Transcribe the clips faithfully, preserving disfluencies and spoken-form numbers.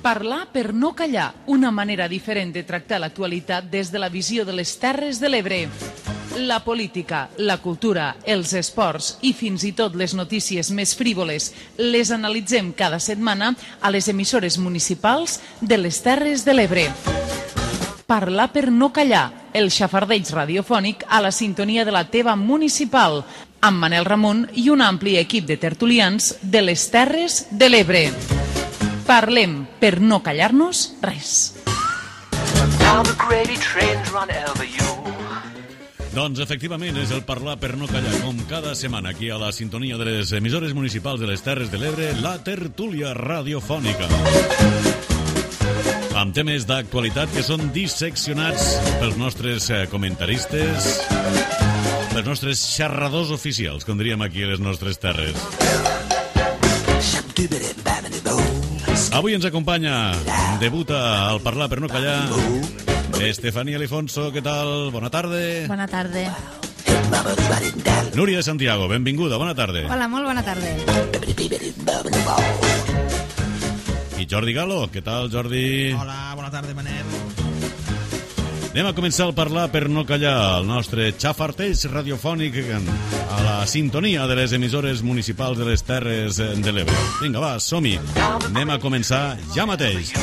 Parlar per no callar, una manera diferent de tractar l'actualitat des de la visió de les Terres de l'Ebre. La política, la cultura, els esports i fins i tot les notícies més frívoles les analitzem cada setmana a les emissores municipals de les Terres de l'Ebre. Parlar per no callar, el xafardeig radiofònic a la sintonia de la teva municipal, amb Manel Ramon i un ampli equip de tertulians de les Terres de l'Ebre. Parlem per no callar-nos res. Doncs efectivament és el Parlar per no callar, com cada setmana aquí a la sintonia de les emissores municipals de les Terres de l'Ebre, la tertúlia radiofònica. Amb temes d'actualitat que són disseccionats pels nostres comentaristes, pels nostres xerradors oficials, com diríem aquí a les nostres terres. Avui ens acompanya, debuta al Parlar per no callar, Estefanía Alifonso, què tal? Bona tarda. Bona tarda. Núria de Santiago, benvinguda, bona tarda. Hola, molt bona tarda. I Jordi Galo, què tal, Jordi? Hola, bona tarda, Manel. Anem a començar a parlar per no callar el nostre xafarteig radiofònic a la sintonia de les emissores municipals de les Terres de l'Ebre. Vinga, va, som-hi. Anem a començar ja mateix.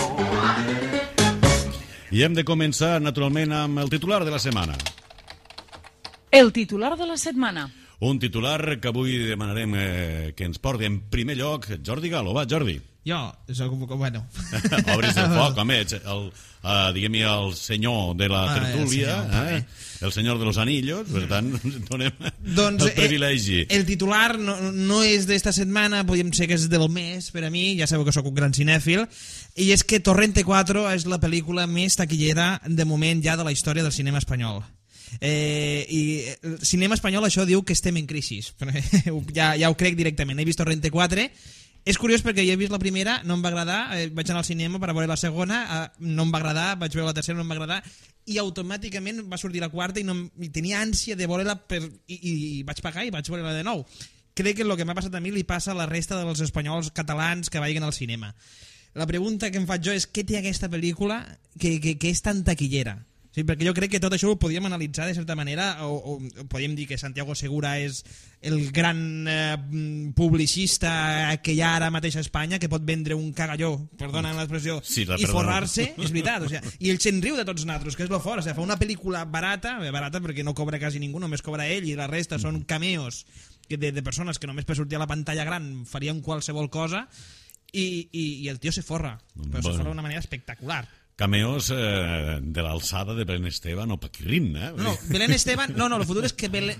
I hem de començar, naturalment, amb el titular de la setmana. El titular de la setmana. Un titular que avui demanarem eh, que ens porti en primer lloc Jordi Galo. Va, Jordi. Jo, soc, bueno... Obris el foc, home, el, uh, diguem-hi el senyor de la tertúlia, ah, el, senyor, eh? el senyor de los anillos, per tant, donem doncs, el privilegi. El, el titular no, no és d'esta setmana, podríem ser que és del mes, per a mi, ja sabeu que sóc un gran cinèfil, i és que Torrente quatre és la pel·lícula més taquillera de moment ja de la història del cinema espanyol. Eh, i el cinema espanyol això diu que estem en crisi. ja, ja ho crec directament. He vist Torrente quatre. És curiós perquè jo he vist la primera, no em va agradar, eh, vaig anar al cinema per a veure la segona, eh, no em va agradar, vaig veure la tercera, no em va agradar, i automàticament va sortir la quarta i, no, i tenia ànsia de veure-la per, i, i vaig pagar i vaig veure-la de nou. Crec que el que m'ha passat a mi li passa a la resta dels espanyols catalans que vagin al cinema. La pregunta que em faig jo és què té aquesta pel·lícula que, que, que és tan taquillera? Sí, perquè jo crec que tot això ho podíem analitzar de certa manera, o, o podíem dir que Santiago Segura és el gran eh, publicista que hi ha ara mateix a Espanya, que pot vendre un cagalló, perdona l'expressió, sí, la i forrar-se, és veritat, o sigui, i el se'n riu de tots nosaltres, que és lo fort, o sigui, fa una pel·lícula barata, barata perquè no cobra quasi ningú, només cobra ell, i la resta són cameos de, de persones que només per sortir a la pantalla gran farien qualsevol cosa, i, i, i el tio se forra, però se forra d'una manera espectacular. Cameos eh, de l'alçada de Belén Esteban o Paquirrín, eh? No, Belén Esteban... No, no, el futur és que Belén,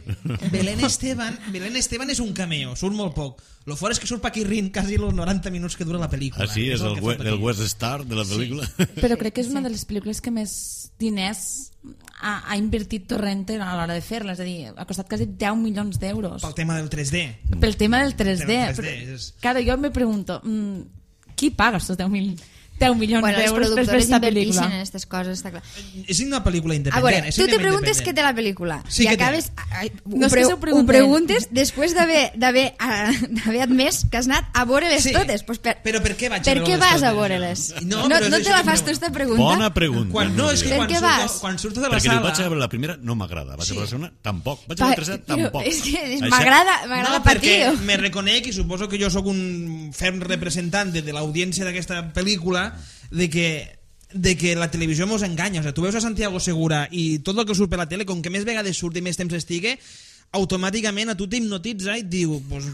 Belén Esteban Belén Esteban és un cameo, surt molt poc. Lo fort és que surt Paquirrín quasi els noranta minuts que dura la pel·lícula. Ah, sí? És, és el, el, el West Star de la pel·lícula? Sí. Però crec que és una de les pel·lícules que més diners ha, ha invertit Torrente a l'hora de fer-la, és a dir, ha costat quasi deu milions d'euros. Pel tema del tres D. Pel tema del tres D. Del tres D però, és... Claro, jo me pregunto, mmm, qui paga estos deu milions? deu milions bueno, d'euros per aquesta pel·lícula. En aquestes coses, està clar. És una pel·lícula independent. A veure, és tu te preguntes independent. què té la pel·lícula Sí, i acabes... Ai, no ho, pre ho preguntes després d'haver admès que has anat a veure-les sí, totes. Pues per, però per què vaig per a què veure-les vas a totes? veure-les? No, no, però no és te la això fas que tu esta pregunta? Bona pregunta. Quan, no, és que per quan què surto, vas? quan surto de la Perquè sala... diu, vaig a veure la primera, no m'agrada. Vaig Sí. a veure la segona, tampoc. Vaig a veure la tercera, tampoc. És que Això- m'agrada m'agrada No, patir. perquè me reconec i suposo que jo sóc un ferm representant de, de l'audiència d'aquesta pel·lícula de que de que la televisió mos enganya, o sigui, tu veus a Santiago Segura i tot el que surt per la tele, com que més vegades surt i més temps estigui, automàticament a tu t'hipnotitza i et diu, pues,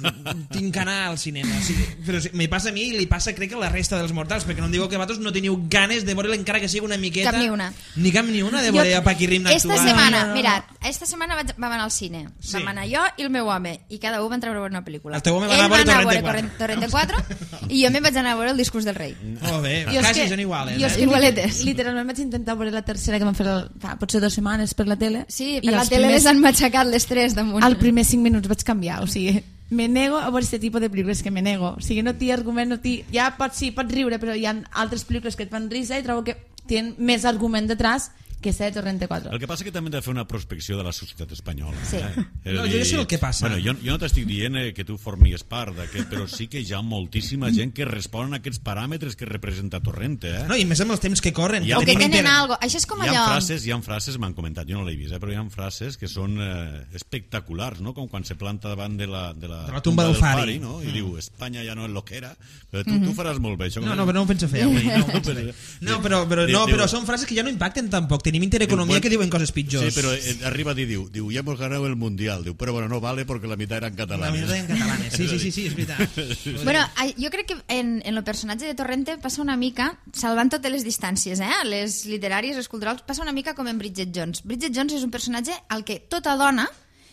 tinc que anar al cinema. Sí, però sí, me passa a mi i li passa crec que a la resta dels mortals, perquè no em diu que vosaltres no teniu ganes de veure-la encara que sigui una miqueta... Cap ni una. Ni cap ni una de veure a Paquirrín actuar. Esta setmana, No, no, no. mirad, esta setmana vaig, vam anar al cine. Sí. Vam anar jo i el meu home, i cada un vam treure a veure una pel·lícula. El teu home va Ell anar a veure va anar a Torrente veure Torrente quatre i jo me'n vaig anar a veure El discurs del rei. Molt bé, Jo és quasi que- són iguales. jo és Eh? que Igualetes. Literalment vaig intentar veure la tercera que van fer el, fa, potser dues setmanes per la tele. Sí, i per la els tele primers- les han matxacat les tres damunt. Al primer cinc minuts vaig canviar, o sigui, me nego a veure aquest tipus de pel·lícules que me nego, o sigui, no té argument, no té... ja pots, sí, pots riure, però hi ha altres pel·lícules que et fan risa i trobo que tenen més argument detrás que ser Torrente quatre. El que passa que també hem de fer una prospecció de la societat espanyola. Sí. Eh? No, jo ja sé el que passa. Bueno, jo, jo no t'estic dient eh, que tu formis part d'aquest, però sí que hi ha moltíssima gent que respon a aquests paràmetres que representa Torrente. Eh? No, i més amb els temps que corren. Ja O que tenim tenen inter- algo. Això és com Hi ha allò... frases, hi ha frases, m'han comentat, jo no l'he vist, eh, però hi ha frases que són eh, espectaculars, no? Com quan se planta davant de la, de la, De la tumba del Fari. no? I mm. diu, Espanya ja no és lo que era. Però tu, mm -hmm. tu faràs molt bé. Això, No, no, però no ho penso fer avui. No, ho penso fer. no, però, però, no, però són frases que ja no impacten tampoc. Tenim intereconomia que diuen coses pitjors. Sí, però eh, arriba a dir, diu, diu, ja hemos ganado el Mundial. Diu, però bueno, no vale porque la mitad eran catalanes. La mitad eran catalanes, sí, sí, sí, sí, és veritat. Bueno, jo crec que en, en el personatge de Torrente passa una mica, salvant totes les distàncies, eh? les literàries, les culturals, passa una mica com en Bridget Jones. Bridget Jones és un personatge al que tota dona,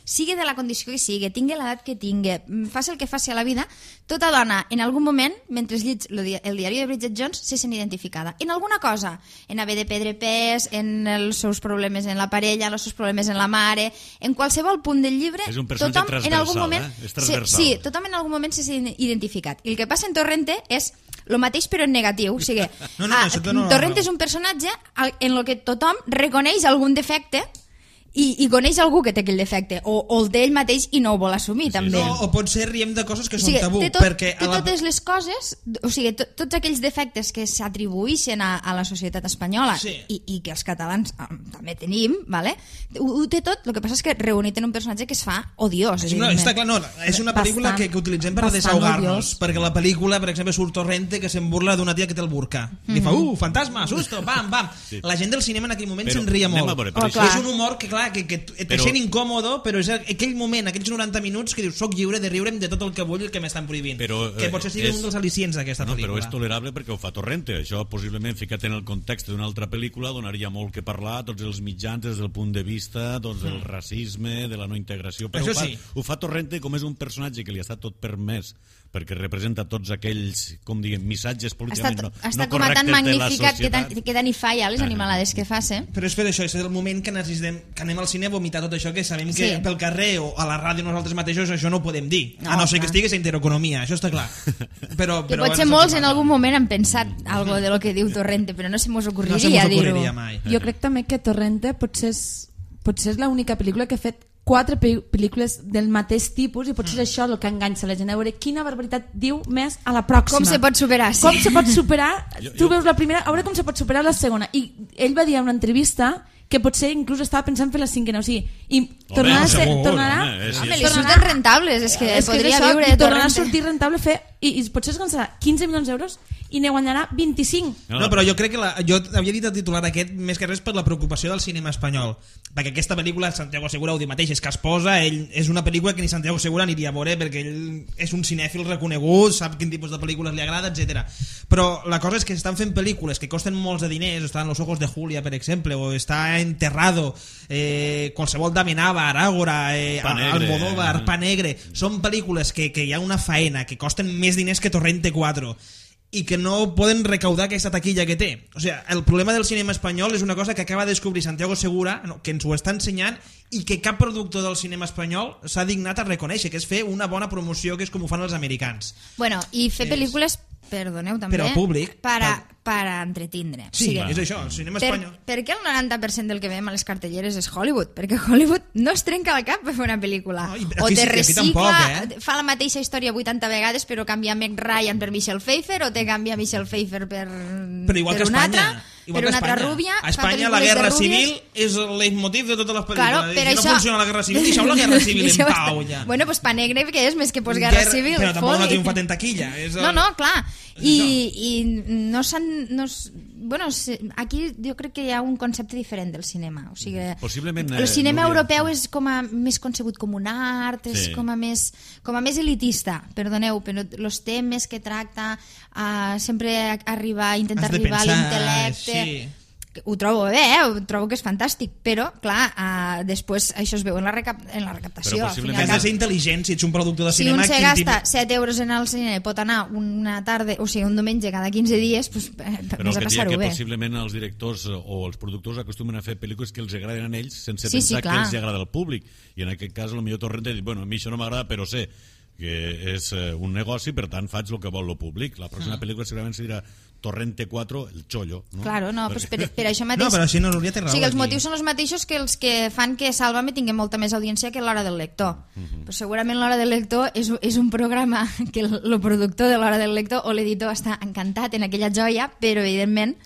sigui de la condició que sigui, tingui l'edat que tingui, faci el que faci a la vida, tota dona, en algun moment, mentre lleig el diari de Bridget Jones, se sent identificada. En alguna cosa, en haver de perdre pes, en els seus problemes en la parella, en els seus problemes en la mare, en qualsevol punt del llibre, és un personatge tothom transversal, en algun moment, eh? És transversal. Sí, tothom en algun moment se sent identificat. I el que passa en Torrente és el mateix però en negatiu. O sigui, no, no, a, no, no, Torrente no. és un personatge en el que tothom reconeix algun defecte i, i coneix algú que té aquell defecte, o, o el d'ell mateix i no ho vol assumir, Sí, sí, també. No, o potser riem de coses que O sigui, són tabú. té, tot, perquè té a la... totes les coses, o sigui, to, tots aquells defectes que s'atribueixen a, a la societat espanyola Sí. i, i que els catalans eh, també tenim, vale? ho, ho té tot, el que passa és que reunit en un personatge que es fa odiós. Sí, no, està clar, no, és una pel·lícula Bastant, que, que utilitzem per bastant desahogar-nos, odiós. perquè la pel·lícula, per exemple, surt Torrente que se'n burla d'una tia que té el burca. I fa, uh, fantasma, susto, pam, pam. Sí. La gent del cinema en aquell moment Però se'n ria anem molt. a veure, per Oh, això- clar. És un humor que, clar, que, que et Però- sent incòmodo, però és aquell moment, aquells noranta minuts que dius, soc lliure de riure'm de tot el que vull i el que m'estan prohibint. Però, que eh, potser sigui és- un dels al·licients d'aquesta No, però pel·lícula. és tolerable perquè ho fa Torrente. Això, possiblement, ficat en el context d'una altra pel·lícula, donaria molt que parlar, tots els mitjans des del punt de vista doncs, del racisme, de la no integració. Però Això ho fa, sí. ho fa Torrente com és un personatge que li està tot permès, perquè representa tots aquells, com diguem, missatges Està, políticament no, està no com a correctes tan de la magnificat que, tan, societat. que tant hi falla les Ah, no. animalades que fa, eh? Però és per això, és el moment que necessitem que anem al cine a vomitar tot això, que sabem que Sí. pel carrer o a la ràdio nosaltres mateixos això no ho podem dir, No, a no ser que clar. estigués a intereconomia, això està clar. Però, Que però potser bueno, molts és el en que algun passa. moment han pensat algo de lo que diu Torrente, però no se mos No se ocorriria mos dir-ho. ocorreria mai. Jo crec també que Torrente potser és, potser és l'única pel·lícula que ha fet quatre pe- pel·lícules del mateix tipus i potser és això el que enganxa la gent, a veure quina barbaritat diu més a la pròxima. Com se pot superar, sí. Com se pot superar, Jo- tu jo- veus la primera, a veure com se pot superar la segona. I ell va dir en una entrevista que potser inclús estava pensant fer la cinquena, o sigui, i tornarà a ser, segur, tornarà, home, és- Home, li tornarà- surten rentables, és que és que podria és això, viure i de tornarà a Torrente. sortir rentable fer, i, i potser es gastarà quinze milions d'euros i ne guanyarà vint-i-cinc. No, però jo crec que la, jo havia dit el titular aquest més que res per la preocupació del cinema espanyol, perquè aquesta pel·lícula Santiago Segura ho diu mateix, és que es posa, ell és una pel·lícula que ni Santiago Segura aniria a veure perquè ell és un cinèfil reconegut, sap quin tipus de pel·lícules li agrada, etcètera. Però la cosa és que estan fent pel·lícules que costen molts de diners, estan Los ojos de Julia, per exemple, o està Enterrado, eh, qualsevol d'Amenábar, Aràgora, eh, Pa Negre, Almodóvar, eh. Pa Negre, són pel·lícules que, que hi ha una faena, que costen més diners que Torrente quatre i que no poden recaudar aquesta taquilla que té. O sigui, el problema del cinema espanyol és una cosa que acaba de descobrir Santiago Segura, no, que ens ho està ensenyant i que cap productor del cinema espanyol s'ha dignat a reconèixer, que és fer una bona promoció, que és com ho fan els americans. Bueno, i fer És- pel·lícules, perdoneu també, Però públic, per a, per- per a entretindre. Sí, O sigui, és això, el cinema per, espanyol. per què el noranta per cent del que veiem a les cartelleres és Hollywood? Perquè Hollywood no es trenca el cap per fer una pel·lícula. No, i o aquí te sí, aquí recicla, tampoc, eh? fa la mateixa història vuitanta vegades però canvia Meg Ryan per Michelle Pfeiffer o te canvia Michelle Pfeiffer per, Però igual per que una Espanya. altra, Igual per que una altra Espanya. rúbia. A fa Espanya la pel·lícules de guerra rúbies. civil és el leitmotiv de totes les pel·lícules. Claro, I per si això... no funciona la guerra civil, deixeu la guerra civil en Deixeu pau estar- ja. Bueno, pues Pa Negre, que és més que postguerra Guerra- civil. Però tampoc no ha foli. triomfat en taquilla. És el... No, no, clar. És I, això. i no s'han... No s- bueno, se- aquí jo crec que hi ha un concepte diferent del cinema. O sigui, Possiblement, el eh, cinema Núria. europeu és com a més concebut com un art, és Sí. com a més, com a més elitista, perdoneu, però els temes que tracta uh, sempre arriba a intentar Has de arribar a pensar, l'intel·lecte... sí. Ho trobo bé, eh? Ho trobo que és fantàstic, però, clar, uh, després això es veu en la, recap en la recaptació. Però al fin i al possiblement Has cap. de ser intel·ligent si ets un productor de Si cinema. un se quin gasta tipus- set euros en el cine pot anar una tarda, o sigui, un diumenge cada quinze dies, pues, eh, Però més el a que diria passar-ho que bé. possiblement els directors o els productors acostumen a fer pel·lícules que els agraden a ells sense Sí, sí, pensar que clar. els agrada al públic. I en aquest cas, potser Torrente diu, bueno, a mi això no m'agrada, però sé perquè és eh, un negoci, per tant faig el que vol el públic. La pròxima Mm. pel·lícula segurament serà Torrente quatre, el chollo. No? Claro, no, pues per, per això mateix... No, però així no hauria de raó. O sigui, els aquí. motius són els mateixos que els que fan que Sálvame tingui molta més audiència que l'Hora del Lector. Però segurament l'Hora del Lector és, és un programa que el, el productor de l'Hora del Lector o l'editor està encantat en aquella joia, però evidentment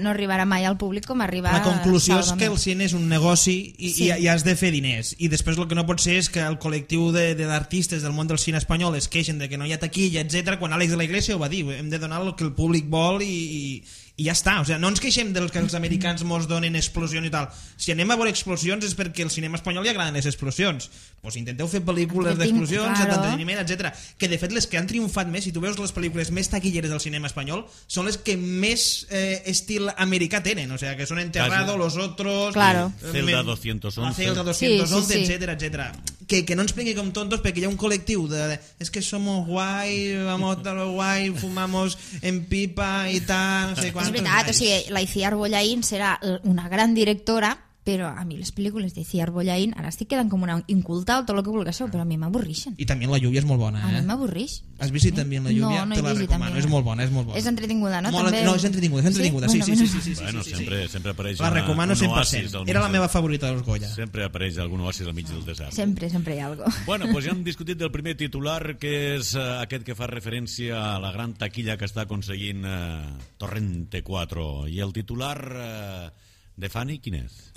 no arribarà mai al públic com arriba La conclusió és Sálvame. que el cine és un negoci i, Sí. i, i has de fer diners, i després el que no pot ser és que el col·lectiu de, de d'artistes del món del cine espanyol es queixen de que no hi ha taquilla, etcètera, quan Àlex de la Iglesia ho va dir, hem de donar el que el públic vol i, i, i ja està. O sigui, no ens queixem dels que els americans mos donen explosions i tal. Si anem a veure explosions és perquè al cinema espanyol li agraden les explosions. Pues intenteu fer pel·lícules Entretinc- d'explosions, claro. d'entreteniment, etcètera. Que de fet les que han triomfat més, si tu veus les pel·lícules més taquilleres del cinema espanyol, són les que més eh, estil americà tenen. O sea, que són Enterrado, Casi. Los Otros... Claro. eh, Celda me- doscientos once. La Celda doscientos once, Sí, sí, sí. etcétera, etcétera. Que, que no ens prengui com tontos perquè hi ha un col·lectiu de, de es que somos guay, vamos a lo guay, fumamos en pipa i tal, no sé És quantos. veritat, o guais. sigui, la Iciar Bollaín serà una gran directora, però a mi les pel·lícules d'Iciar Bollaín ara estic quedant com una inculta o tot el que vulguis, però a mi m'avorrixen. I també la lluvia és molt bona, A mi eh? m'avorrix. Has vist també la lluvia? No, no Te he la vist recomano, també. és molt bona, és molt bona. És entretinguda, no? Molt, També... no, és entretinguda, és entretinguda, sí, sí, sí, sí, sí, sí, Bueno, sí, sí. sempre, sempre apareix La una- recomano un cent per oasis cent. al mig Era la del- meva favorita dels Goya. Sempre apareix algun oasis al mig del desert. Sempre, sempre hi ha alguna cosa. Bueno, pues ja hem discutit del primer titular, que és uh, aquest que fa referència a la gran taquilla que està aconseguint uh, Torrente quatre. I el titular uh, de Fanny, quin és?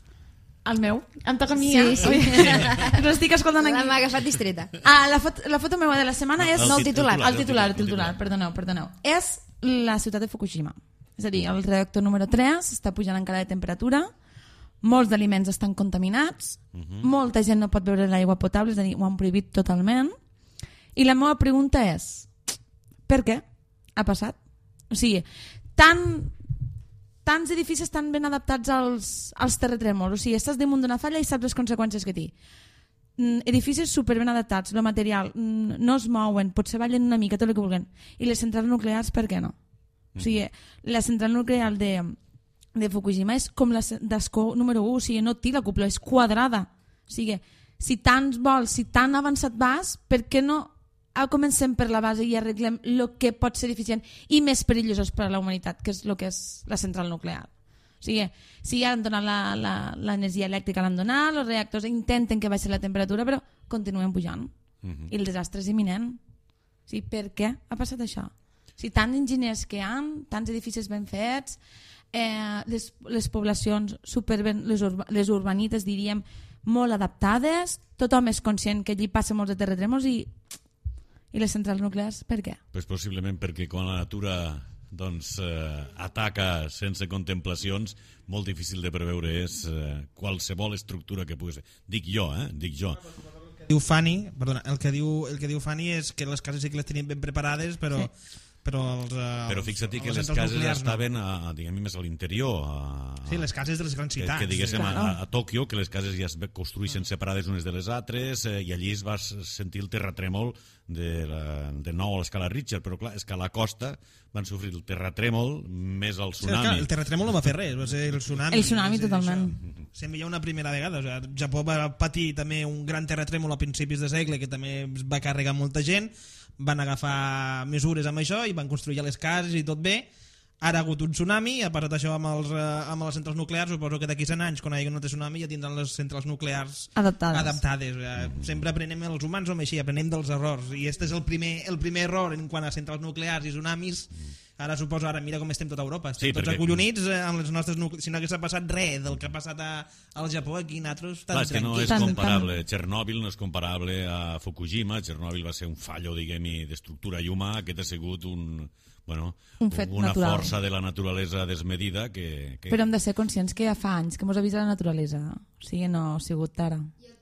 El meu. Em toca a mi, Sí, eh? sí. Però estic escoltant aquí. M'ha agafat distreta. Ah, la, foto, la foto meva de la setmana és... El No, el tit- titular. El titular, el el titular, perdoneu, perdoneu. És la ciutat de Fukushima. És a dir, el reactor número tres està pujant encara de temperatura, molts d'aliments estan contaminats, uh -huh. molta gent no pot beure l'aigua potable, és a dir, ho han prohibit totalment. I la meva pregunta és, per què ha passat? O sigui, tan... tants edificis estan ben adaptats als, als terratrèmols, o sigui, estàs damunt d'una falla i saps les conseqüències que té. Mm, edificis super ben adaptats, el material mm, no es mouen, potser ballen una mica, tot el que vulguin. I les centrals nuclears, per què no? O sigui, la central nuclear de, de Fukushima és com la d'Escó número u, o sigui, no té la cúpula, és quadrada. O sigui, si tants vols, si tan avançat vas, per què no comencem per la base i arreglem el que pot ser deficient i més perillós per a la humanitat, que és el que és la central nuclear. O sigui, si ja han donat l'energia elèctrica, l'han donat, els reactors intenten que baixi la temperatura, però continuen pujant. Uh -huh. I el desastre és imminent. O sigui, per què ha passat això? O sigui, tants enginyers que hi ha, tants edificis ben fets, eh, les, les poblacions super ben, les, urba, les urbanites, diríem, molt adaptades, tothom és conscient que allí passa molts de terratrèmols i, i les centrals nuclears, per què? Pues possiblement perquè quan la natura doncs, eh, ataca sense contemplacions, molt difícil de preveure és eh, qualsevol estructura que pugui ser. Dic jo, eh? Dic jo. Diu Fanny, perdona, el que diu, el que diu Fanny és que les cases sí que les tenien ben preparades, però... Sí. Però, els, uh, Però fixa't que les centrals cases nuclears no. estaven a, a, diguem, més a l'interior. A, Sí, les cases de les grans que, ciutats. que diguéssim Claro. a, a Tòquio, que les cases ja es construeixen separades unes de les altres, eh, i allí es va sentir el terratrèmol de, la, de nou a l'escala Richter, però clar, és que a la costa van sofrir el terratrèmol més el Sí, clar, tsunami. el terratrèmol no va fer res, va ser el tsunami. El tsunami, és a dir, totalment. això. Sembla ja una primera vegada. O sigui, Japó va patir també un gran terratrèmol a principis de segle que també va carregar molta gent, van agafar mesures amb això i van construir les cases i tot bé. Ara ha hagut un tsunami, ha passat això amb, els, eh, amb les centrals nuclears, suposo que d'aquí cent anys, quan hi hagi un altre tsunami, ja tindran les centrals nuclears Adaptades. adaptades. O sigui, sempre aprenem, els humans som així, aprenem dels errors, i este és el primer, el primer error en quant a centrals nuclears i tsunamis. Ara suposo, ara mira com estem tot a Europa, estem Sí, tots perquè- acollonits eh, amb les nostres nuclears. Si no hagués passat res del que ha passat a, al Japó, aquí nosaltres Clar, és que no és Tant, comparable. Txernòbil no és comparable a Fukushima. Txernòbil va ser un fallo, diguem-hi, d'estructura i humà. Aquest ha sigut un, bueno, Un fet una natural. força de la naturalesa desmedida que... que... Però hem de ser conscients que ja fa anys que mos avisa la naturalesa. O sigui, no ha sigut d'ara.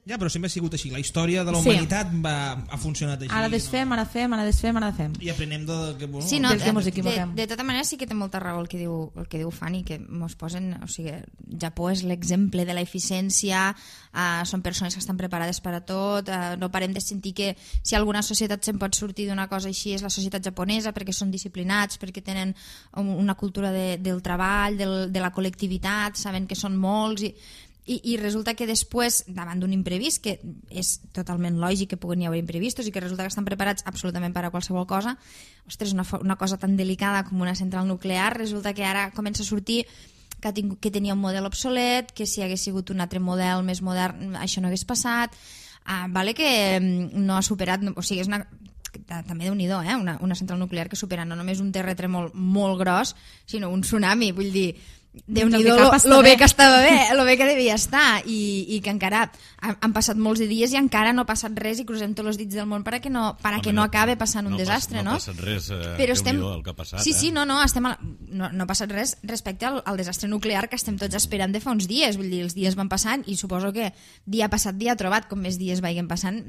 Ja, però sempre ha sigut així. La història de la Sí. humanitat va, ha funcionat així. Ara desfem, ara fem, ara desfem, ara fem. I aprenem de... Que, bueno, Sí, no, Des que de, mos de, equivoquem. de tota manera sí que té molta raó el que diu, el que diu Fanny, que mos posen, o sigui, Japó és l'exemple de l'eficiència, uh, són persones que estan preparades per a tot, uh, no parem de sentir que si alguna societat se'n pot sortir d'una cosa així és la societat japonesa, perquè són disciplinats, perquè tenen un, una cultura de, del treball, del, de la col·lectivitat, saben que són molts i I, i resulta que després, davant d'un imprevist, que és totalment lògic que puguin hi haver imprevistos i que resulta que estan preparats absolutament per a qualsevol cosa, ostres, una, una cosa tan delicada com una central nuclear, resulta que ara comença a sortir que, tingut, que tenia un model obsolet, que si hagués sigut un altre model més modern això no hagués passat, ah, vale que no ha superat, o sigui, és una... també déu-n'hi-do, eh? una, una central nuclear que supera no només un terratrèmol molt gros, sinó un tsunami, vull dir, déu-n'hi-do lo, lo bé que estava bé, lo bé que devia estar, i, i que encara han, han passat molts de dies i encara no ha passat res i crucem tots els dits del món per a que no, per a que no, no acabe passant un no desastre, pas, no? No ha passat res, eh, però estem... el que ha passat. Sí, sí, eh? no, no, estem a... no, no ha passat res respecte al, al desastre nuclear que estem tots esperant de fa uns dies, vull dir, els dies van passant i suposo que dia passat dia trobat, com més dies vagin passant,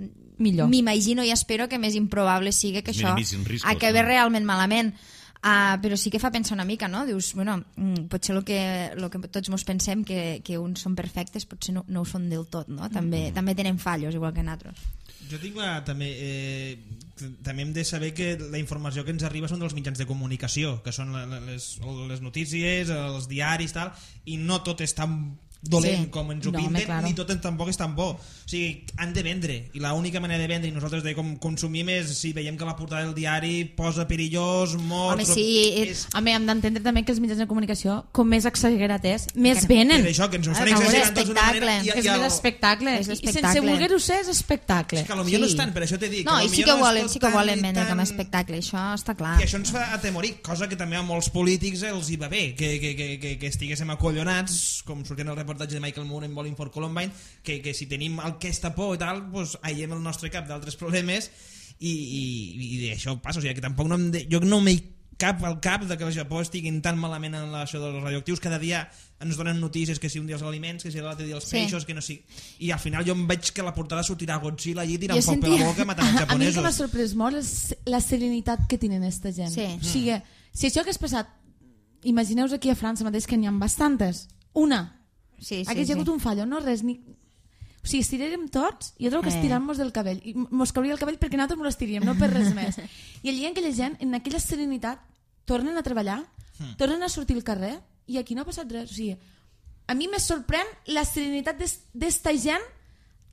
millor. M'imagino i espero que més improbable sigui que això riscos, acabi no? realment malament. Uh, però sí que fa pensar una mica, no? Dius, bueno, mm, potser el que, lo que tots mos pensem que, que uns són perfectes potser no, no ho són del tot, no? També, mm. també tenen fallos, igual que nosaltres. Jo tinc la, també, eh, també hem de saber que la informació que ens arriba són dels mitjans de comunicació, que són les, les notícies, els diaris, tal, i no tot és tan dolent sí. com ens ho no, pinten, claro. ni tot tampoc és tan bo. O sigui, han de vendre, i l'única manera de vendre i nosaltres de com consumim és si veiem que la portada del diari posa perillós, morts... Home, sí, és... Home, hem d'entendre també que els mitjans de comunicació, com més exagerat és, més venen. Per això, que ens ho estan Ah, exagerant tots d'una manera... I, és i el... més espectacle. És I sense voler-ho ser és espectacle. És que potser sí. no és tant, per això t'he dit. No, que i sí que, no volen, sí que volen tan, vendre tan... com a espectacle, això està clar. I això ens fa atemorir, cosa que també a molts polítics els hi va bé, que, que, que, que, que estiguéssim acollonats, com sortint el reportatge de Michael Moore en Bowling for Columbine, que, que si tenim aquesta por i tal, doncs aïllem el nostre cap d'altres problemes i, i, i això passa, o sigui que tampoc no em de, jo no m'hi cap al cap de que el Japó estiguin tan malament en això dels radioactius. Cada dia ens donen notícies que si un dia els aliments, que si l'altre dia els peixos, sí. que no sigui... I al final jo em veig que la portada sortirà Godzilla allí tirant foc sentia... per la boca matant els japonesos. A mi el que m'ha sorprès molt és la serenitat que tenen aquesta gent. Sí. O sigui, si això hagués passat, imagineu-vos aquí a França mateix que n'hi ha bastantes, una, sí, sí, hagués sí. hi hagut un fallo, no res, ni... O sigui, estirarem tots, jo trobo que Eh. estirant-nos del cabell, i mos cauria el cabell perquè nosaltres mos l'estiríem, no per res més. I allà aquella gent, en aquella serenitat, tornen a treballar, tornen a sortir al carrer, i aquí no ha passat res. O sigui, a mi me sorprèn la serenitat d'esta gent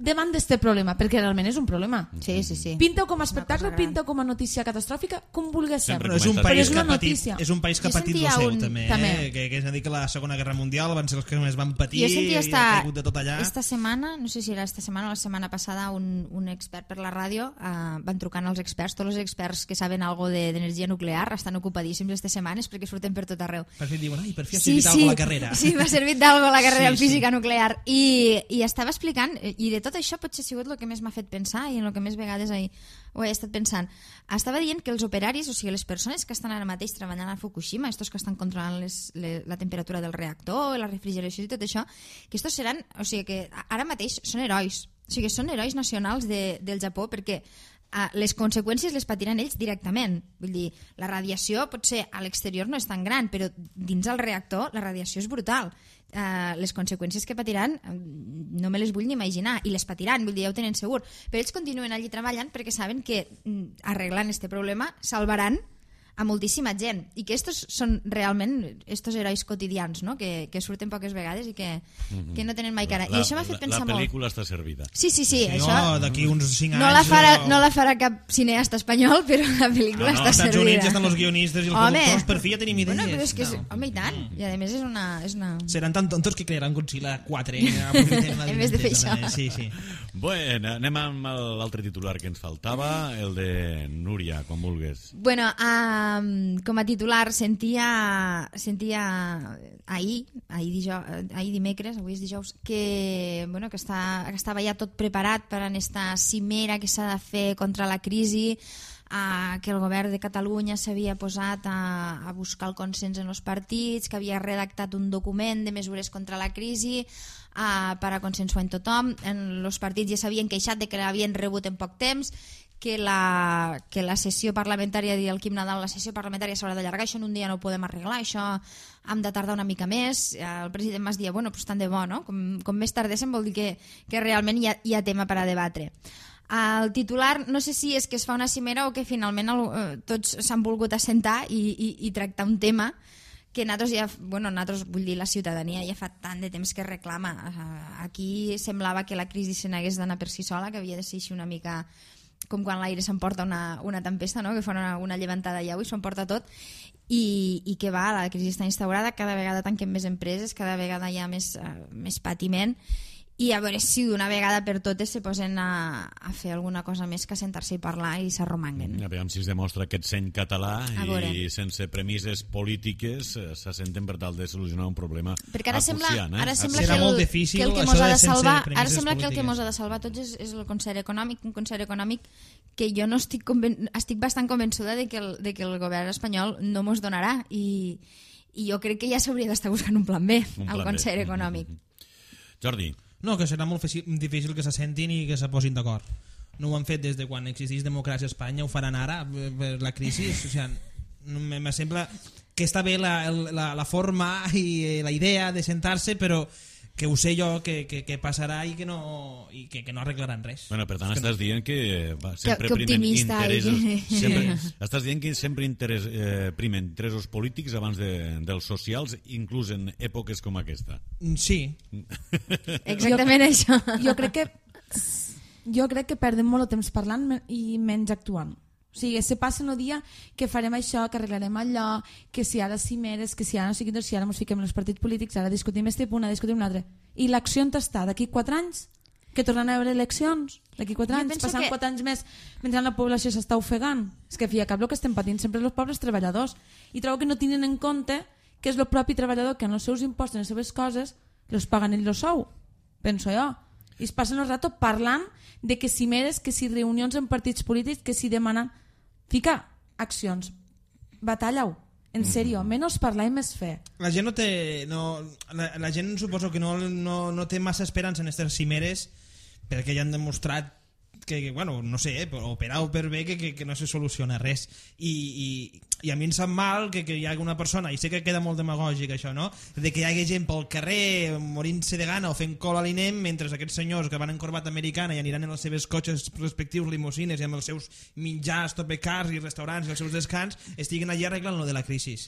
davant d'este problema, perquè realment és un problema. Sí, sí, sí. Pinta-ho com a espectacle, pinta com a notícia catastròfica, com vulguis ser. Però és un Però país és que una ha patit, notícia. és un país que ha Jo patit sentia lo seu un- també, també. eh? que, que és a dir que la Segona Guerra Mundial van ser els que més van patir Jo sentia i esta, ha caigut de tot allà. esta setmana, no sé si era esta setmana o la setmana passada, un, un expert per la ràdio, uh, van trucant als experts, tots els experts que saben algo d'energia de, nuclear estan ocupadíssims aquestes setmanes perquè surten per tot arreu. Per fi diuen, ai, per fi ha Sí, servit sí, alguna la carrera. sí, m'ha servit d'algo la carrera Sí, en física sí. nuclear. I, I estava explicant, i de tot això potser ha sigut el que més m'ha fet pensar i en el que més vegades ahir ho he estat pensant. Estava dient que els operaris, o sigui, les persones que estan ara mateix treballant a Fukushima, estos que estan controlant les, les, la temperatura del reactor, la refrigeració i tot això, que estos seran, o sigui, que ara mateix són herois. O sigui, són herois nacionals de, del Japó perquè uh, les conseqüències les patiran ells directament. Vull dir, la radiació potser a l'exterior no és tan gran, però dins del reactor la radiació és brutal. Uh, les conseqüències que patiran uh, no me les vull ni imaginar, i les patiran, vull dir, ja ho tenen segur, però ells continuen allí treballant perquè saben que mm, arreglant este problema salvaran a moltíssima gent, i que estos són realment estos herois quotidians, no? que, que surten poques vegades i que, mm-hmm. que no tenen mai cara. La, I això m'ha fet pensar molt. La pel·lícula molt. està servida. Sí, sí, sí. Si això... no, d'aquí uns cinc no anys... la, farà, o- no la farà cap cineasta espanyol, però la pel·lícula No, no, està als Estats servida. Units estan els guionistes i els Home. productors, per fi ja tenim idees. Bueno, però és que és... No. Home, i tant. I a més és una... És una... Seran tan tontos que crearan Godzilla quatre. Eh? Aprofitem la En vez de fer directesa, això. eh? Sí, sí. Bueno, anem amb l'altre titular que ens faltava, el de Núria, com vulgues. Bueno, um, com a titular sentia, sentia ahir, ahir, dijous, ahir dimecres, avui és dijous, que, bueno, que, està, que estava ja tot preparat per a aquesta cimera que s'ha de fer contra la crisi, uh, que el govern de Catalunya s'havia posat a, a buscar el consens en els partits, que havia redactat un document de mesures contra la crisi uh, per a consensuar en tothom. En els partits ja s'havien queixat de que l'havien rebut en poc temps, que la, que la sessió parlamentària, dir el Quim Nadal, la sessió parlamentària s'haurà d'allargar, això en un dia no ho podem arreglar, això hem de tardar una mica més. El president Mas dia, bueno, pues tant de bo, no? Com, com més tardéssim vol dir que, que realment hi ha, hi ha tema per a debatre. El titular, no sé si és que es fa una cimera o que finalment el, eh, tots s'han volgut assentar i, i, i tractar un tema que nosaltres ja, bueno, nosaltres, vull dir, la ciutadania ja fa tant de temps que reclama. Aquí semblava que la crisi se n'hagués d'anar per si sola, que havia de ser així una mica com quan l'aire s'emporta una, una tempesta, no? Que fa una, una llevantada de llau i s'emporta tot, i, i que va, la crisi està instaurada, cada vegada tanquen més empreses, cada vegada hi ha més, uh, més patiment, i a veure si d'una vegada per totes se posen a, a fer alguna cosa més que sentar-se i parlar i s'arromanguen. A veure si es demostra aquest seny català i sense premisses polítiques s'assenten per tal de solucionar un problema perquè ara sembla, eh? ara sembla Serà que el, molt difícil, que el que mos ha de salvar, ara premisses sembla que el que polítiques. mos ha de salvar tots és, és el concert econòmic, un concert econòmic que jo no estic, conven... estic bastant convençuda de que, el, de que el govern espanyol no mos donarà, i, i jo crec que ja s'hauria d'estar buscant un plan B Un al plan concert B. econòmic. Jordi. No, que serà molt difícil que s'assentin i que se posin d'acord. No ho han fet des de quan existeix democràcia a Espanya, ho faran ara per la crisi. O sigui, me sembla que està bé la, la, la forma i la idea de sentar-se, però que ho sé jo que, que, que passarà i que no, i que, que no arreglaran res. Bueno, per tant, estàs dient que va, sempre que, que primen interessos... i... Sempre, estàs dient que sempre interès, eh, primen interessos polítics abans de, dels socials, inclús en èpoques com aquesta. Sí. Exactament jo, això. Jo crec que jo crec que perdem molt de temps parlant i menys actuant. O sigui, se passa el dia que farem això, que arreglarem allò, que si ara cimeres, que si ara no sé què, si ara ens fiquem en els partits polítics, ara discutim este punt, ara discutim un altre. I l'acció on està? D'aquí quatre anys? Que tornen a haver eleccions? D'aquí quatre anys? Passant que... quatre anys més mentre la població s'està ofegant? És que, fi, a cap el que estem patint sempre els pobles treballadors. I trobo que no tenen en compte que és el propi treballador que en els seus impostos, en les seves coses, els paguen ells el sou. Penso jo. I es passen el rato parlant de que cimeres, que si reunions en partits polítics, que si demanen... Fica accions, batalla-ho, en sèrio, menys parlar i més fer. La gent no té... No, la, la gent suposo que no, no, no té massa esperança en aquestes cimeres perquè ja han demostrat que, que bueno, no sé, eh, o per A o per B que, que, que no se soluciona res. I, i, i a mi em sap mal que, que hi hagi una persona, i sé que queda molt demagògic això, no?, de que hi hagi gent pel carrer morint-se de gana o fent col a l'Inem mentre aquests senyors que van en corbata americana i aniran en els seus cotxes respectius limusines i amb els seus menjars, topecars i restaurants i els seus descans estiguen allà arreglant lo de la crisi.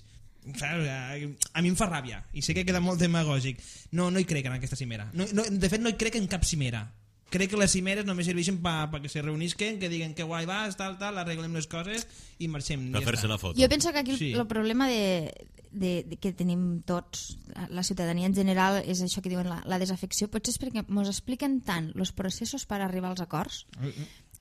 A mi em fa ràbia i sé que queda molt demagògic. No, no hi crec en aquesta cimera. No, no, de fet no hi crec en cap cimera. Crec que les cimeres només serveixen per pa que se reunisquen, que diguen que guai vas, tal, tal, arreglem les coses i marxem. Per ja fer-se està. la foto. Jo penso que aquí Sí. el, el problema de, de, de que tenim tots, la ciutadania en general, és això que diuen la, la desafecció. Potser és perquè ens expliquen tant els processos per arribar als acords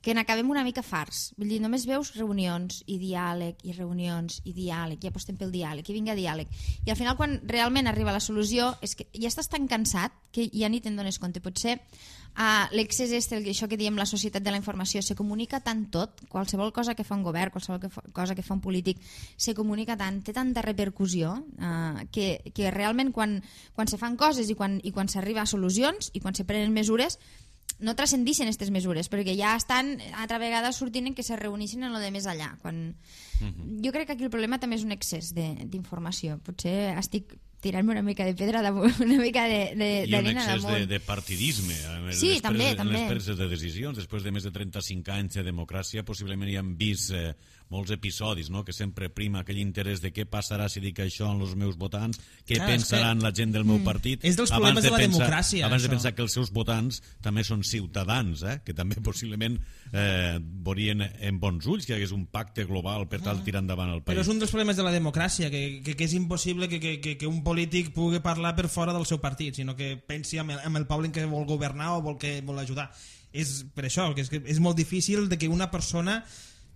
que n'acabem una mica farts. Vull dir, només veus reunions i diàleg, i reunions i diàleg, i apostem pel diàleg, i vinga diàleg. I al final, quan realment arriba la solució, és que ja estàs tan cansat que ja ni te'n dones compte. Potser uh, l'excés és el, això que diem la societat de la informació, se comunica tant tot, qualsevol cosa que fa un govern, qualsevol que fa, cosa que fa un polític, se comunica tant, té tanta repercussió, uh, que, que realment quan, quan se fan coses i quan, i quan s'arriba a solucions i quan se prenen mesures, no transcendixen aquestes mesures, perquè ja estan altra vegada sortint en que se reuneixen en lo de més allà. Quan... Uh-huh. Jo crec que aquí el problema també és un excés d'informació. Potser estic tirant-me una mica de pedra damunt, una mica d'arena damunt. I un excés de, de partidisme. Sí, les també, preses, també. En les preses de decisions, després de més de trenta-cinc anys de democràcia, possiblement hi han vist eh, molts episodis, no?, que sempre prima aquell interès de què passarà si dic això amb els meus votants, què Clar, pensaran la gent del meu partit. És dels problemes de la pensar, democràcia, Abans això. de pensar que els seus votants també són ciutadans, eh, que també possiblement eh, veurien en bons ulls que hi hagués un pacte global per tal tirar endavant el país. Però és un dels problemes de la democràcia, que, que, que és impossible que, que, que, que un polític pugui parlar per fora del seu partit, sinó que pensi amb el, amb el poble en què vol governar o vol que vol ajudar. És per això, que és, que és molt difícil de que una persona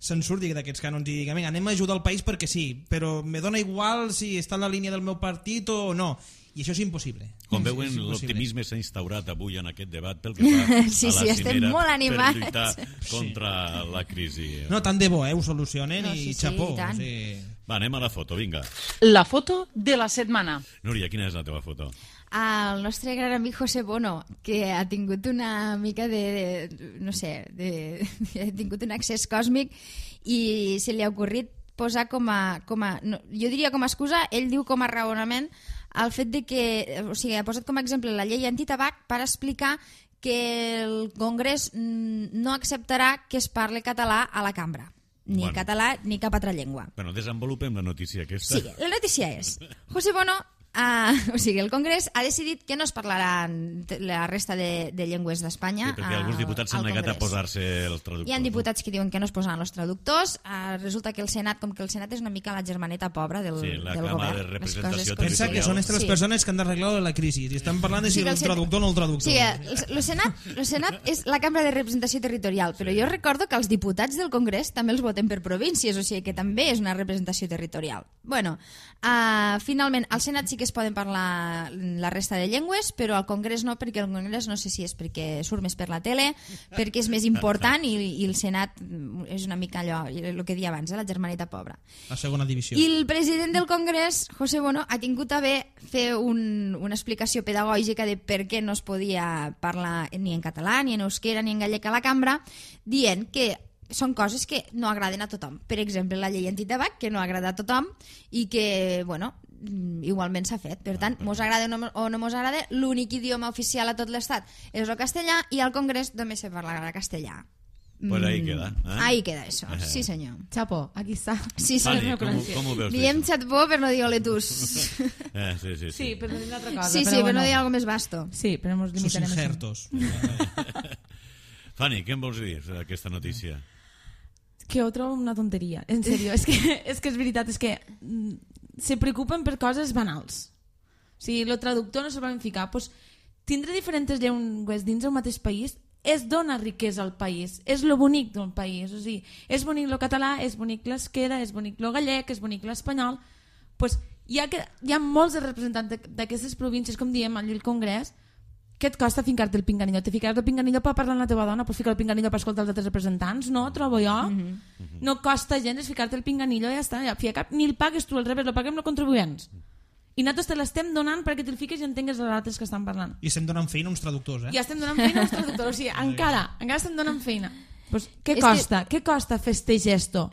se'n surti d'aquests cànons i digui, anem a ajudar el país perquè sí, però me dona igual si està en la línia del meu partit o no. I això és impossible. Com veuen, l'optimisme s'ha instaurat avui en aquest debat pel que fa sí, a la sí, estem cimera molt animats. per lluitar contra sí. la crisi. No, tant de bo, eh? Ho solucionen no, i sí, xapó. Sí, o sigui... Va, anem a la foto, vinga. La foto de la setmana. Núria, quina és la teva foto? El nostre gran amic José Bono, que ha tingut una mica de, de no sé, de, de, ha tingut un accés còsmic i se li ha ocorrit posar com a, com a no, jo diria com a excusa, ell diu com a raonament el fet de que, o sigui, ha posat com a exemple la llei antitabac per explicar que el Congrés no acceptarà que es parli català a la cambra. ni Bueno. català ni cap altra llengua. Bueno, desenvolupem la notícia aquesta. Sí, la notícia és José Bono, uh, o sigui, el Congrés ha decidit que no es parlarà la resta de, de llengües d'Espanya. Sí, perquè alguns diputats s'han negat a posar-se els traductors. Hi ha diputats que diuen que no es posaran els traductors. Uh, resulta que el Senat, com que el Senat és una mica la germaneta pobra del, Sí, la del Cama govern. de Representació les coses Territorial. Pensa que són estas Sí. persones que han d'arreglar la crisi i estan parlant de si Sí, que el el Senat- traductor o no el traductor. Sí, el, el, Senat, el Senat és la cambra de representació territorial, però jo recordo que els diputats del Congrés també els voten per províncies, o sigui que també és una representació territorial. Bueno, uh, finalment, al Senat sí que es poden parlar la resta de llengües, però al Congrés no, perquè el Congrés no sé si és perquè surt més per la tele, perquè és més important i, i el Senat és una mica allò, el que deia abans, eh, la germaneta pobra. La segona divisió. I el president del Congrés, José Bono, ha tingut a bé fer un, una explicació pedagògica de per què no es podia parlar ni en català, ni en euskera, ni en gallec a la cambra, dient que són coses que no agraden a tothom. Per exemple, la llei antitabac, que no agrada a tothom i que, bueno, igualment s'ha fet. Per tant, mos agrada o no, o no mos agrada, l'únic idioma oficial a tot l'estat és el castellà i al Congrés només se parlarà castellà. Pues ahí queda. Eh? Ahí queda eso, sí senyor. Chapo, aquí està. Sí, sí. Fanny, com, com ho veus? Diem això? xatbó per no dir oletus. Eh, sí, sí, sí. Sí, però no dir una altra cosa. Sí, sí, però per no bueno. dir algo més vasto. Sí, però ens Sus limitarem a això. injertos. Fanny, què em vols dir d'aquesta notícia? Que ho trobo una tonteria, en sèrio. és, que, és que és veritat, és que mm, se preocupen per coses banals. O sigui, el traductor no se va ficar. Pues, tindre diferents llengües dins del mateix país és dona riquesa al país, és lo bonic del país. O sigui, és bonic lo català, és bonic l'esquera, és bonic lo gallec, és bonic l'espanyol. Pues, hi, ha que, hi ha molts de representants d'aquestes províncies, com diem al Congrés, què et costa fincar-te el pinganillo? Te ficaràs el pinganillo per parlar amb la teva dona, pots ficar el pinganillo per escoltar els altres representants? No, trobo jo. Mm -hmm. No costa gens ficar-te el pinganillo i ja està. Ja, cap, ni el pagues tu, al revés, el paguem els contribuents. I nosaltres te l'estem donant perquè te'l fiques i entengues els altres que estan parlant. I estem donant feina a uns traductors, eh? I estem donant feina als traductors. O sigui, encara, encara estem donant feina. Pues, què És costa? Que... Què costa fer este gesto?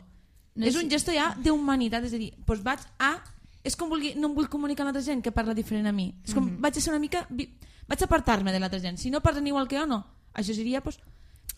No és sé. un gesto ja d'humanitat, és a dir, pues vaig a... És com vulgui, no em vull comunicar amb l'altra gent que parla diferent a mi. És com, mm -hmm. vaig a ser una mica... Vaig a apartar-me de l'altra gent. Si no parlen igual que jo, no. Això seria, pues,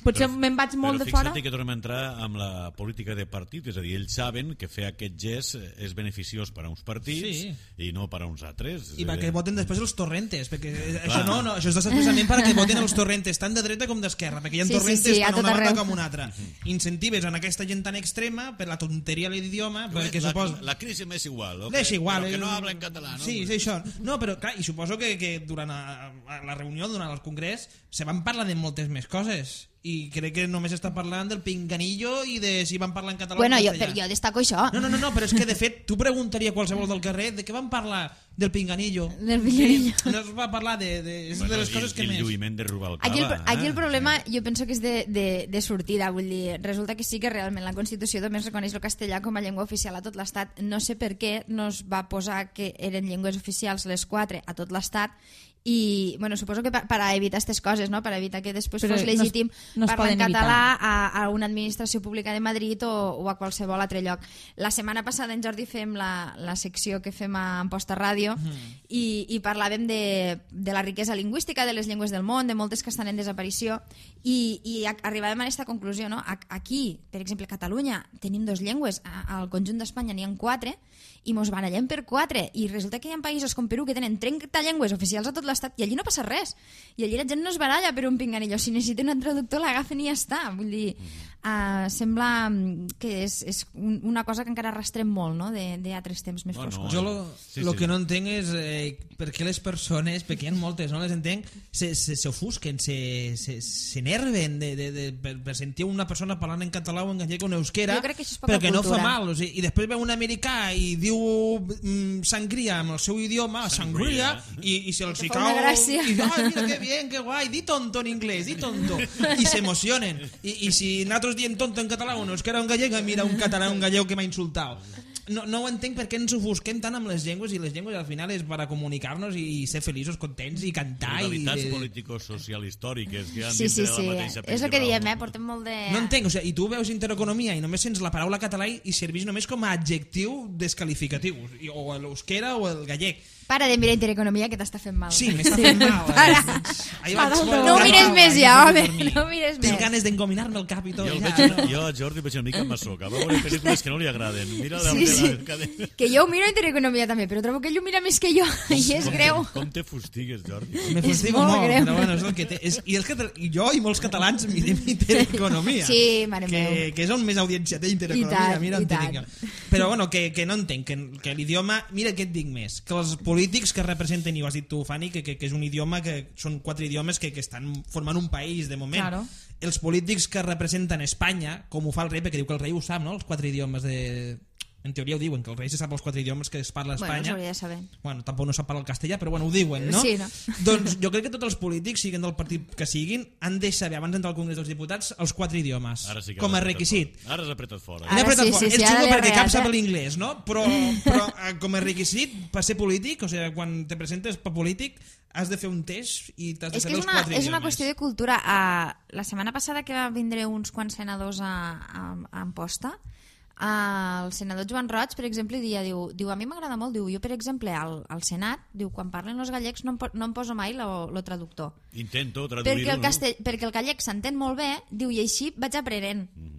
potser me'n vaig molt de fora. Però fixa't que tornem a entrar amb la política de partit, és a dir, ells saben que fer aquest gest és beneficiós per a uns partits Sí. i no per a uns altres. I perquè voten després els torrentes, perquè això no, no, això és expressament perquè voten els torrentes tant de dreta com d'esquerra, perquè hi ha Sí, sí, torrentes sí, a tant a tot una banda arreu. com a una altra. Incentives en aquesta gent tan extrema per la tonteria de l'idioma, perquè la, suposo... la crisi m'és igual, okay? Deixa igual. Però que eh, no hablen català, no? Sí, sí, això. No, però clar, i suposo que, que durant a, a la reunió, durant el congrés, se van parlar de moltes més coses. I crec que només està parlant del pinganillo i de si van parlar en català Bueno, o en jo, castellà. però jo destaco això. No, no, no, no, però és que de fet tu preguntaria a qualsevol del carrer de què van parlar del pinganillo. Del pinganillo. No es va parlar de, de, és Bueno, de les i, coses que i el més... lluïment de Rubalcaba. Aquí el, aquí el eh? problema jo penso que és de, de, de sortida, vull dir, resulta que sí que realment la Constitució només reconeix el castellà com a llengua oficial a tot l'Estat. No sé per què no es va posar que eren llengües oficials les quatre a tot l'Estat i, bueno, suposo que per, per a evitar aquestes coses, no? Per evitar que després Però fos no es- legítim no es parlar en poden català a, a una administració pública de Madrid o, o a qualsevol altre lloc. La setmana passada en Jordi fem la, la secció que fem a Amposta Ràdio mm. i, i parlàvem de, de la riquesa lingüística de les llengües del món, de moltes que estan en desaparició i, i a, arribàvem a aquesta conclusió, no? Aquí, per exemple, a Catalunya tenim dues llengües, a, al conjunt d'Espanya n'hi ha quatre i mos barallem per quatre i resulta que hi ha països com Perú que tenen trenta llengües oficials a tot l'estat i allí no passa res i allí la gent no es baralla per un pinganillo, si necessiten un traductor l'agafen i ja està, vull dir uh, sembla que és, és un, una cosa que encara arrastrem molt, no? d'altres temps més Bueno, foscos. Jo lo, Sí, lo sí. que no entenc és eh, per què les persones, perquè hi ha moltes, no les entenc, se, se, se ofusquen, se, se, se nerven de, de, de, per, per sentir una persona parlant en català o en gallec o en euskera, Jo crec que això és poca però que no fa cultura. mal. O sigui, I després veu un americà i diu mm, sangria amb el seu idioma, sangria, i, i se'ls Que hi fa cau... una gràcia. I, ai, mira que bien, que guai, di tonto en inglès, di tonto. I s'emocionen. I, I si nosaltres diem tonto en català o en euskera o en gallec, mira un català o un gallec que m'ha insultat. No, no ho entenc per què ens ofusquem tant amb les llengües i les llengües al final és per a comunicar-nos i ser feliços, contents i cantar. I Realitats de... político-social-històriques que han Sí, sí, dintre sí, de la mateixa és el que principal, diem, no? eh? Portem molt de... No entenc, o sigui, i tu veus intereconomia i només sents la paraula català i serveix només com a adjectiu descalificatiu, i- o l'euskera o el gallec. Para de mirar Intereconomia, que t'està fent mal. Sí, m'està fent mal. Para. Ahir vaig- No ho mires més ja, home, no ho mires Tinc més. ganes d'engominar-me el cap i tot. Jo, el ja, veig, no? jo a Jordi veig una mica masoca. Va veure pel·lícules que no li agraden. Mira la Sí, sí. la cadena. Que jo ho miro Intereconomia també, però trobo que ell ho mira més que jo, i és greu. Com te fustigues, Jordi? Me És fustigo molt molt, greu. però bueno, és el que té. És, I, els catal... I jo i molts catalans mirem Intereconomia. Sí, mare que, meu. que és on més audiència té I Intereconomia. tant, Mira i on tant. tinc jo. Però bueno, que, que no entenc, que, que l'idioma... Mira què et dic més, que els polítics que representen, i ho has dit tu, Fanny, que, que, que és un idioma, que són quatre idiomes que, que estan formant un país de moment. Claro. Els polítics que representen Espanya, com ho fa el rei, perquè diu que el rei ho sap, no?, els quatre idiomes de... En teoria ho diuen, que el rei se sap els quatre idiomes que es parla a Bueno, Espanya. s'hauria de saber. Bueno, tampoc no sap parlar el castellà, però bueno, ho diuen, no? Sí, no? Doncs jo crec que tots els polítics, siguin del partit que siguin, han de saber, abans d'entrar al Congrés dels Diputats, els quatre idiomes, Ara sí que com a has apretat requisit. fort. Ara has apretat fort. Ara N'he apretat sí, fort. sí, sí, és ara xulo l'he perquè cap reat, sap eh? l'inglès, no? Però, però eh, com a requisit per ser polític, o sigui, quan te presentes per polític, has de fer un test i t'has de És que saber és els una, quatre és una idiomes. qüestió de cultura. Uh, la setmana passada que va vindre uns quants senadors a, a, a Amposta, uh, el senador Joan Roig, per exemple, dia, diu, diu a mi m'agrada molt, diu, jo per exemple al, al Senat, diu, quan parlen els gallecs no em, po- no em poso mai el traductor. Intento traduir-ho. Perquè el, no? castell, perquè el gallec s'entén molt bé, diu, i així vaig aprenent. Mm.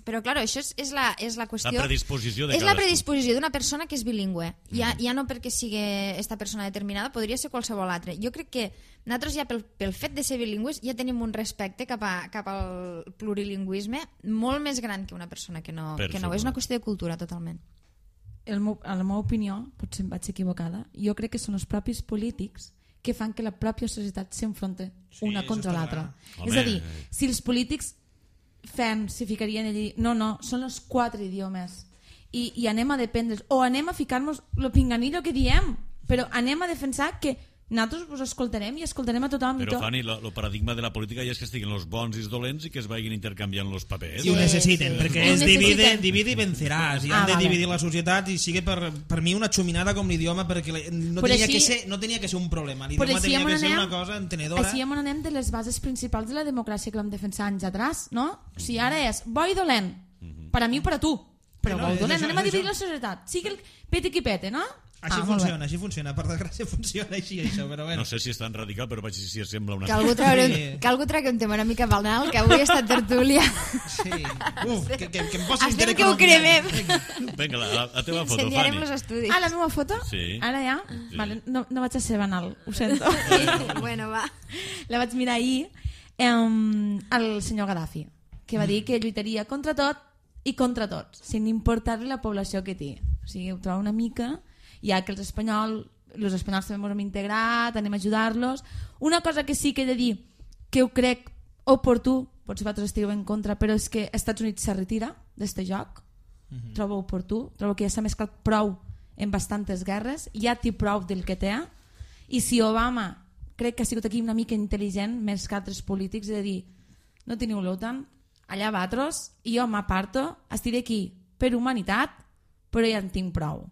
Però, clar, això és, és, la, és la qüestió... La predisposició de És la cadascú. predisposició d'una persona que és bilingüe. Ja, ja no perquè sigui esta persona determinada, podria ser qualsevol altra. Jo crec que nosaltres ja pel, pel fet de ser bilingües ja tenim un respecte cap, a, cap al plurilingüisme molt més gran que una persona que no, Per que no. suposat. És una qüestió de cultura, totalment. El meu, a la meva opinió, potser em vaig equivocada, jo crec que són els propis polítics que fan que la pròpia societat s'enfronte Sí, una això contra està l'altra. clar. És a Home. dir, si els polítics fem, si ficarien allí, no, no, són els quatre idiomes i, i anem a dependre, o anem a ficar-nos el pinganillo que diem, però anem a defensar que nosaltres us escoltarem i escoltarem a tothom. i Però, tot. Fanny, el paradigma de la política ja és que estiguin els bons i els dolents i que es vagin intercanviant els papers. I ho Sí, necessiten, sí. perquè Ho és divide, necessiten. divide i venceràs, i Ah, han de vale. dividir la societat, i sigue per, per mi una xuminada com l'idioma, perquè la- no Però tenia, així- que ser, no tenia que ser un problema, Però l'idioma així tenia on que ser anem- una cosa entenedora. Així on anem de les bases principals de la democràcia que vam defensar anys atrás, no? O sigui, ara és bo i dolent, per a mi o per a tu, però No, bo és i dolent, això, anem a és dividir això. la societat, sigui el peti qui pete, no? Així Ah, molt bé. funciona, així funciona, per desgràcia funciona així això, però bueno. No sé si és tan radical, però vaig dir si sembla una... Que algú, traure, Sí. que algú tragui un tema una mica banal, que avui ha estat tertúlia. Sí. Uf, que, que, que em posi Esperem que Intereconomia. ho cremem. Vinga, la, la, la teva foto, Ensenyarem Fanny. els estudis. Ah, la meva foto? Sí. Ara ja? Sí. Vale, no, no vaig a ser banal, ho sento. Bueno, va. La vaig mirar ahir um, al senyor Gaddafi, que va dir que lluitaria contra tot i contra tots, sin importar-li la població que té. O sigui, ho trobo una mica, ja que els espanyols, els espanyols també ens hem integrat, anem a ajudar-los. Una cosa que sí que he de dir, que ho crec oportú, potser vosaltres estigueu en contra, però és que Estats Units se retira d'este joc. Mm-hmm. Trobo oportú, trobo que ja s'ha mesclat prou en bastantes guerres, ja té prou del que té, i si Obama crec que ha sigut aquí una mica intel·ligent més que altres polítics, és a dir, no teniu l'OTAN, allà vosaltres, i jo m'aparto, estiré aquí per humanitat, però ja en tinc prou.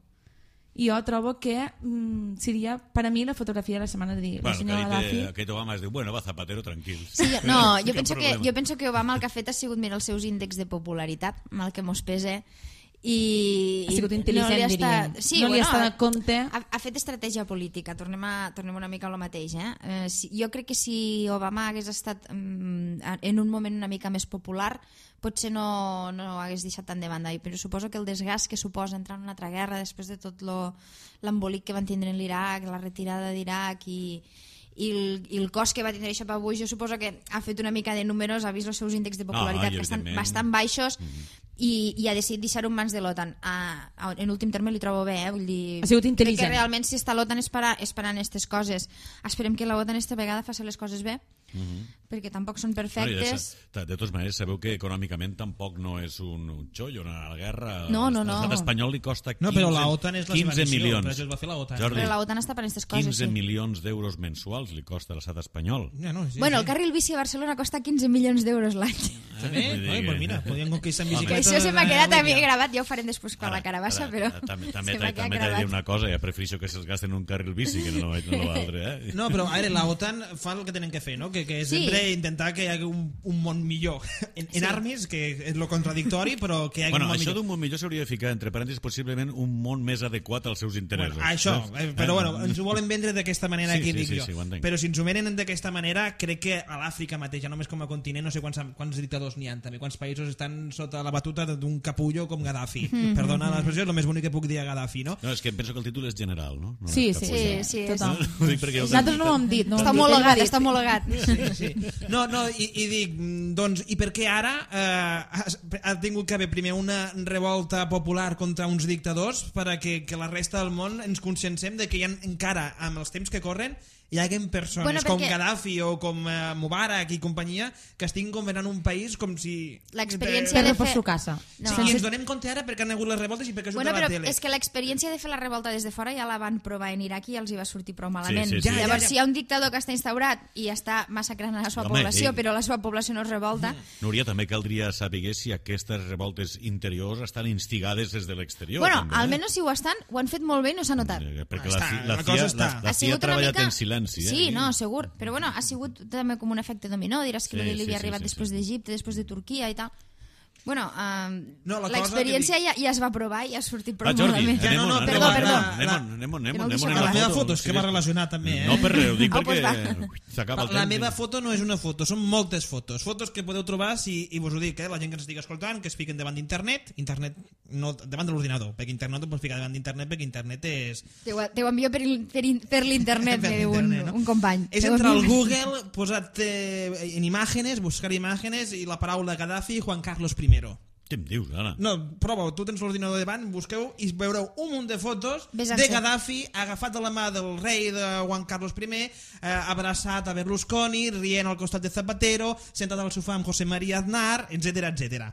I jo trobo que mm, seria per a mi la fotografia de la setmana de dir la Bueno, senyora que Gaddafi. dit, aquest Obama es diu, bueno, va Zapatero, tranquil. Sí, jo, no, jo Cap penso, que, problema. jo penso que Obama el que ha fet ha sigut mirar els seus índexs de popularitat, mal que mos pese, i... Ha sigut i intel·ligent, li ha diríem. estat- Sí, No li bueno, està de compte. Ha, ha fet estratègia política, tornem, a, tornem una mica a lo mateix. Eh? Eh, si, jo crec que si Obama hagués estat mm, en un moment una mica més popular, potser no, no hagués deixat tant de banda. I, però suposo que el desgast que suposa entrar en una altra guerra després de tot l'embolic que van tindre en l'Iraq, la retirada d'Iraq i, i, el, i el cost que va tindre això per avui, jo suposo que ha fet una mica de números, ha vist els seus índexs de popularitat No, i que estan evidentment. bastant baixos, mm-hmm. i, i ha decidit deixar-ho en mans de l'OTAN. Ah, en últim terme li trobo bé, eh? Vull dir, Ha sigut crec intel·ligent. que realment si està l'OTAN esperant aquestes coses, esperem que l'OTAN esta vegada faci les coses bé, Mhm. perquè tampoc són Bueno, i perfectes. de, de totes maneres, sabeu que econòmicament tampoc no és un, un xollo anar a la guerra. No, no, no. L'estat espanyol li costa quinze, No, però la OTAN és la seva quinze missió, milions. per això es va fer la OTAN. Jordi, Però la OTAN està per aquestes coses, quinze sí. milions d'euros mensuals li costa a l'estat espanyol. Ja, no, sí, Bueno, el sí. carril bici a Barcelona costa quinze milions d'euros l'any. També? Vull dir Ai, que- pues mira, podríem conquistar amb Home. Que bicicleta. això se m'ha de quedat la també línia. gravat, ja ho farem després quan Ara, la carabassa, ara, però també, també, se m'ha també quedat t'he de dir gravat. una cosa, ja prefereixo que se'ls gasten en un carril bici que no, no l'altre, eh? No, però a veure, la OTAN fa el que tenen que fer, no? Que que, que és Sí. sempre intentar que hi hagi un, un món millor. En, en Sí. armes, que és lo contradictori, però que hi hagi Bueno, un món això millor. d'un món millor s'hauria de ficar entre parèntesis possiblement un món més adequat als seus interessos. Bueno, això, saps? eh, però bueno, ens ho volen vendre d'aquesta manera, Sí, aquí sí, dic sí, jo. sí, ho entenc. Però si ens ho venen d'aquesta manera, crec que a l'Àfrica mateix, ja només com a continent, no sé quants, quants dictadors n'hi ha també, quants països estan sota la batuta d'un capullo com Gaddafi. Mm-hmm. Perdona l'expressió, és el més bonic que puc dir a Gaddafi, no? No, és que penso que el títol és general, no? no Sí, és sí, capullo. Sí, sí. Total. Ho dic perquè jo Nosaltres no ho hem dit. No ho Està hem dit, homologat, ell ho ha està dit. homologat. Sí, sí. No, no, i, i dic, mm, doncs, i per què ara eh, has- ha tingut que haver primer una revolta popular contra uns dictadors perquè que la resta del món ens consciencem de que hi ha encara, amb els temps que corren, hi haguen persones Bueno, com perquè- Gaddafi o com eh, Mubarak i companyia que estiguin governant un país com si... L'experiència Per de reforçar fer... su casa. No. Sí, I ens donem compte ara perquè han hagut les revoltes i perquè ha sortit Bueno, a la però tele. és que l'experiència de fer la revolta des de fora ja la van provar en Iraq i els hi va sortir prou malament. Sí, sí, sí. Ja, ja, Llavors, ja. si hi ha un dictador que està instaurat i està massacrant a la seva Home, població, ell- però la seva població no es revolta, Núria, també caldria saber si aquestes revoltes interiors estan instigades des de l'exterior. bueno, també, eh? almenys si ho estan, ho han fet molt bé i no s'ha notat. Eh, Perquè Està, la, ci- la la, cosa CIA, està. la, la Ha CIA sigut ha una treballat mica... en silenci. Eh? Sí, no, segur. Però bueno, ha sigut també com un efecte dominó. Diràs que Sí, sí, de sí, Líbia sí, ha arribat sí, després sí. d'Egipte, després de Turquia i tal. Bueno, um, No, la cosa l'experiència que ja, ja es va provar i ha sortit prou Va, Jordi, malament. Ja, no, no, anem, perdó, anem, perdó. anem, La- anem, anem, Que no anem, ho deixeu anem La la meva foto. foto, és que va relacionat també, eh? No, per res, ho dic Ah, perquè doncs s'acaba el La temps. meva foto no és una foto, són moltes fotos. Fotos que podeu trobar, si, i vos ho dic, eh, la gent que ens estigui escoltant, que es fiquen davant d'internet, internet no davant de l'ordinador, perquè internet no et pots ficar davant d'internet, perquè internet és... Te ho, te ho envio per, il- per, in- per l'internet, Per me diu un, l'internet, no? un company. És Te ho entrar al envio. Google, posat eh, en imágenes, buscar imágenes i la paraula Gaddafi i Juan Carlos primero. Què em dius, ara? No, prova, tu tens l'ordinador davant, busqueu i veureu un munt de fotos Ves a de ser. Gaddafi agafat de la mà del rei de Juan Carlos primer, eh, abraçat a Berlusconi, rient al costat de Zapatero, sentat al sofà amb José María Aznar, etcètera, etcètera.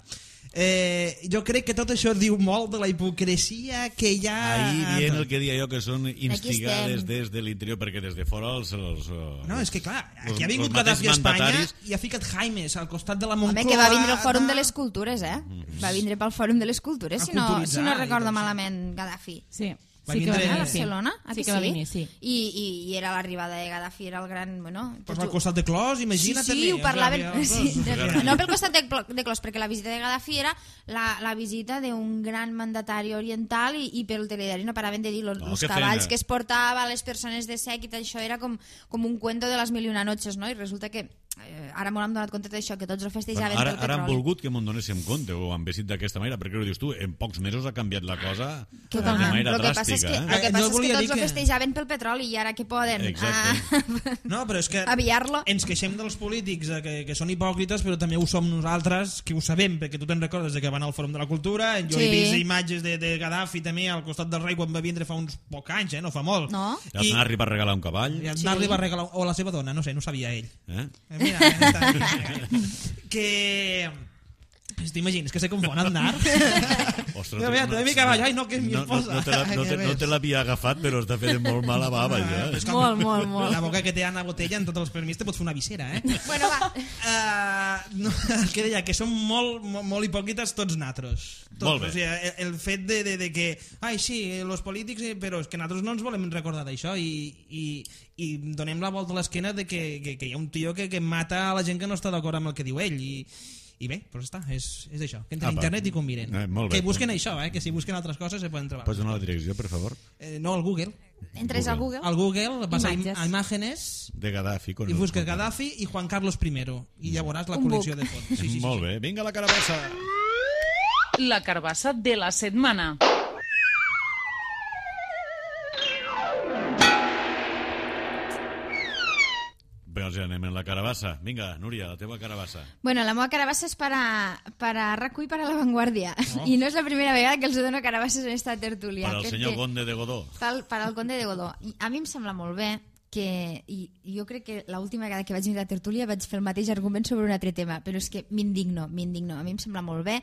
Eh, jo crec que tot això diu molt de la hipocresia que hi ha... Ahir dient el que dia jo, que són instigades estem. des de l'interior, perquè des de fora els... els No, és que clar, els- aquí ha vingut els mateixos Gaddafi a Espanya mandataris- i ha ficat Jaimes al costat de la Moncloa. Home, que va vindre al Fòrum de de les Cultures, eh? Va vindre pel Fòrum de les Cultures, A si no, culturitzar si no i recordo tot, sí. malament, Gaddafi. Sí, Va sí que va vindre- A venir, sí. Barcelona? Ah, Sí que va venir, sí. I, i, i era l'arribada de Gaddafi, era el gran... Bueno, Pues tots al ho- costat de Clos, imagina't Sí, sí, també. ho parlaven... O sigui, Sí, els dos. de, no pel costat de, Clo- de Clos, perquè la visita de Gaddafi era la, la visita d'un gran mandatari oriental i, i pel telediari no paraven de dir los, No, los que cavalls feina. que es portava, les persones de sèquit, això era com, com un cuento de les mil i una noches, no? I resulta que eh, ara m'ho hem donat compte d'això, que tots ho festejaven Bueno, ara, pel ara han petroli. volgut que m'ho donéssim compte, o han vestit d'aquesta manera, perquè ho dius tu, en pocs mesos ha canviat la cosa de Totalment. manera Lo que passa és dràstica. que, eh? lo que, Eh, passa no és que volia tots dir ho que- festejaven pel petroli i ara què poden? Exacte. Ah, No, però és que aviar-lo. ens queixem dels polítics eh, que, que són hipòcrites, però també ho som nosaltres, que ho sabem, perquè tu te'n recordes de que van al Fòrum de la Cultura, jo Sí. he vist imatges de, de Gaddafi també al costat del rei quan va vindre fa uns pocs anys, eh? No fa molt. No? I I, Aznar li va regalar un cavall. i Sí. Aznar li va regalar, o la seva dona, no sé, no ho sabia ell. Eh? Eh, Mira, eh, està, que... Pues t'imagines que se confon Aznar? Ostres, Mira, mira, te mi cavall, ai no, que és mi no, no, esposa. no, te la, no, te, no te l'havia agafat, però està fent molt mal a bava, ja. És com Molt, molt, molt. La boca que té Anna Botella en tots els permís te pot fer una visera, eh? Bueno, va. Uh, no, el que deia, que som molt, molt, molt hipòcrites tots natros. Tots. Molt bé. O sigui, el, el fet de, de, de que, ai sí, els polítics, eh, però és que nosaltres no ens volem recordar d'això i, i, i donem la volta a l'esquena de que, que, que hi ha un tio que, que mata a la gent que no està d'acord amb el que diu ell i, i bé, doncs està, és, és això, que entren a Apa. internet i conviren. Eh, molt bé. Que busquen això, eh, que si busquen altres coses se poden trobar. Pots donar la direcció, per favor? Eh, no, al Google. Entres al Google. Al Google vas a, im Imatges. a imágenes De Gaddafi. Con i el- busques Gaddafi i Juan Carlos primero i ja veuràs la Un col·lecció book. de fotos. Sí, sí, sí, Molt sí. bé, vinga la carabassa. La carbassa de la setmana. Bé, doncs ja anem en la carabassa. Vinga, Núria, la teva carabassa. Bueno, la meva carabassa és para, para Racu i para La Vanguardia. Oh. I no és la primera vegada que els dono carabasses en esta tertúlia. Per al Crec senyor que- Conde de Godó. Pel, per al Conde de Godó. I a mi em sembla molt bé que, i, i jo crec que l'última vegada que vaig venir a la tertúlia vaig fer el mateix argument sobre un altre tema, però és que m'indigno, m'indigno. A mi em sembla molt bé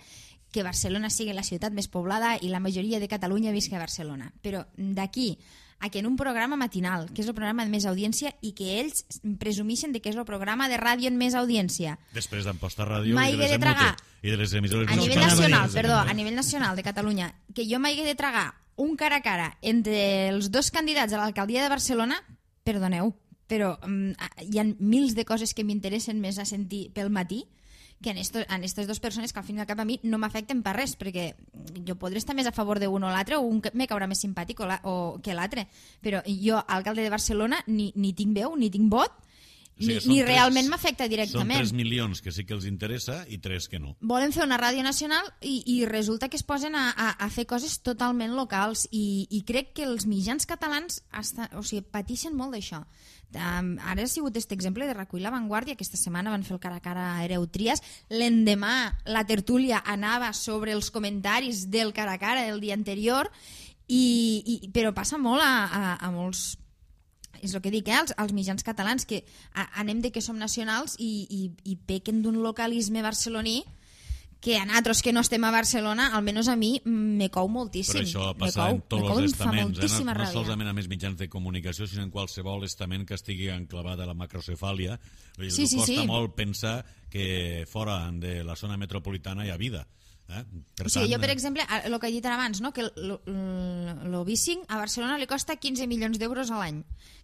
que Barcelona sigui la ciutat més poblada i la majoria de Catalunya visca a Barcelona. Però d'aquí a que en un programa matinal, que és el programa de més audiència, i que ells presumixen de que és el programa de ràdio amb més audiència, Després d'Amposta Ràdio M'ha i de hagué les de tragar. Emute i de les emissores... a No, nivell espera, nacional, espera, perdó, eh? a nivell nacional de Catalunya, que jo m'hagué de tragar un cara a cara entre els dos candidats a l'alcaldia de Barcelona, perdoneu, però um, hi ha mils de coses que m'interessen més a sentir pel matí que en aquestes dues persones que al fin i al cap a mi no m'afecten per res, perquè jo podré estar més a favor d'un o l'altre, o un me caurà més simpàtic o, la, o que l'altre, però jo, alcalde de Barcelona, ni, ni tinc veu, ni tinc vot, o sigui, ni, ni tres, realment m'afecta directament. Són tres milions que sí que els interessa i tres que no. Volen fer una ràdio nacional i, i resulta que es posen a, a, a fer coses totalment locals i, i crec que els mitjans catalans estan, o sigui, pateixen molt d'això. Um, ara ha sigut aquest exemple de recull La Vanguardia, aquesta setmana van fer el cara a cara a Hereu Trias, l'endemà la tertúlia anava sobre els comentaris del cara a cara del dia anterior i, i, però passa molt a, a, a molts, és el que dic, eh? els, els mitjans catalans que a, anem de que som nacionals i, i, i pequen d'un localisme barceloní que a nosaltres que no estem a Barcelona, almenys a mi, me cou moltíssim. Però això passa en tots els estaments, eh? no, no ràbia. solament a més mitjans de comunicació, sinó en qualsevol estament que estigui enclavat a la macrocefàlia. Sí, sí, costa sí. molt pensar que fora de la zona metropolitana hi ha vida. Eh? Per o sigui, tant, jo, per exemple, el que he dit ara abans, no? que el bicing a Barcelona li costa quinze milions d'euros a l'any,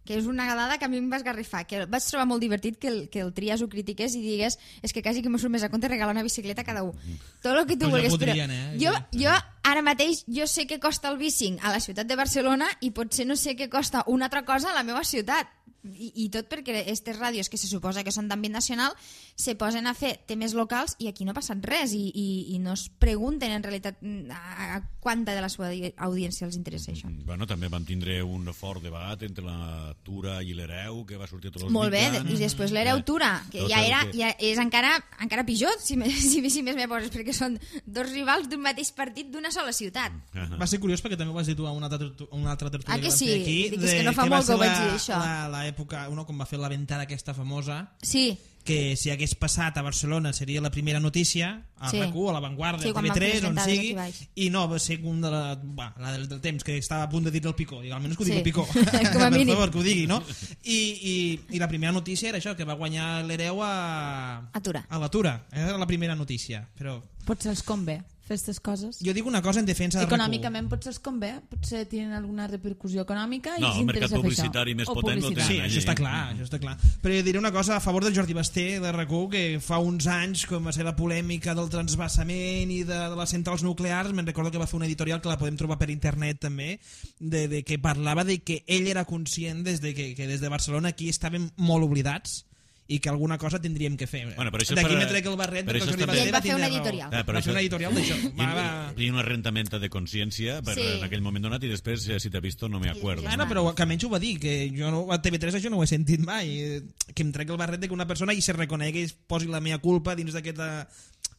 que és una dada que a mi em va esgarrifar, que vaig trobar molt divertit que el, que el Trias ho critiqués i digués és que quasi que m'ho surt més a compte regalar una bicicleta a cada un. Tot el que tu pues vulguis. Ja podrien, però eh? jo, jo ara mateix jo sé què costa el bicing a la ciutat de Barcelona i potser no sé què costa una altra cosa a la meva ciutat. I, i tot perquè aquestes ràdios que se suposa que són d'àmbit nacional se posen a fer temes locals i aquí no ha passat res i, i, i no es pregunten en realitat a, a quanta de la seva audiència els interessa això. Bueno, també vam tindre un fort debat entre la Tura i l'Hereu que va sortir a tots els Molt bé, mitjans. i després l'Hereu Tura, que Tot ja, el era, que- ja és encara, encara pitjor si, me, si, si més me poses, perquè són dos rivals d'un mateix partit d'una sola ciutat. Ahà. Va ser curiós perquè també ho vas dir tu a una altra, tertu- una altra tertúlia Ah, que vam sí? fer aquí, Dic, és que no fa va molt que ser ho vaig la- dir, això. la- l'època, uno, com va fer la ventada aquesta famosa, Sí, que si hagués passat a Barcelona seria la primera notícia a Sí. RAC u, a La Vanguardia, Sí, a quan T V van fer tres, les on ventades sigui, aquí baix. i no, va ser un de la, va, la del, del temps, que estava a punt de dir el Picó, i almenys que ho digui Sí. el Picó, Com a per mínim. favor, que ho digui, no? I, i, i la primera notícia era això, que va guanyar l'Hereu a... A Tura. A la Tura, era la primera notícia, però... Potser els convé fer aquestes coses. Jo dic una cosa en defensa de RAC u. Econòmicament potser els convé, potser tenen alguna repercussió econòmica i No, els el mercat interessa fer publicitari això. més O potent lo publicitat. Sí, tenen allí. això està clar, això està clar. Però jo diré una cosa a favor del Jordi Basté de RAC u, que fa uns anys, com va ser la polèmica del transvasament i de, de les centrals nuclears, me'n recordo que va fer un editorial que la podem trobar per internet també, de, de que parlava de que ell era conscient des de que, que des de Barcelona aquí estàvem molt oblidats i que alguna cosa tindríem que fer. Bueno, però això és D'aquí per- me trec el barret però perquè el això Jordi també- Basté I ell va fer tindre un raó. editorial. Eh, però Va això- fer un editorial d'això. Va, va... I una herramienta de consciència per, Sí. en aquell moment donat i després, eh, si t'ha vist, no me acuerdo. Bueno, però que almenys ho va dir, que jo no, a T V tres això no ho he sentit mai, eh, que em trec el barret de que una persona i se reconegui i es posi la meva culpa dins d'aquesta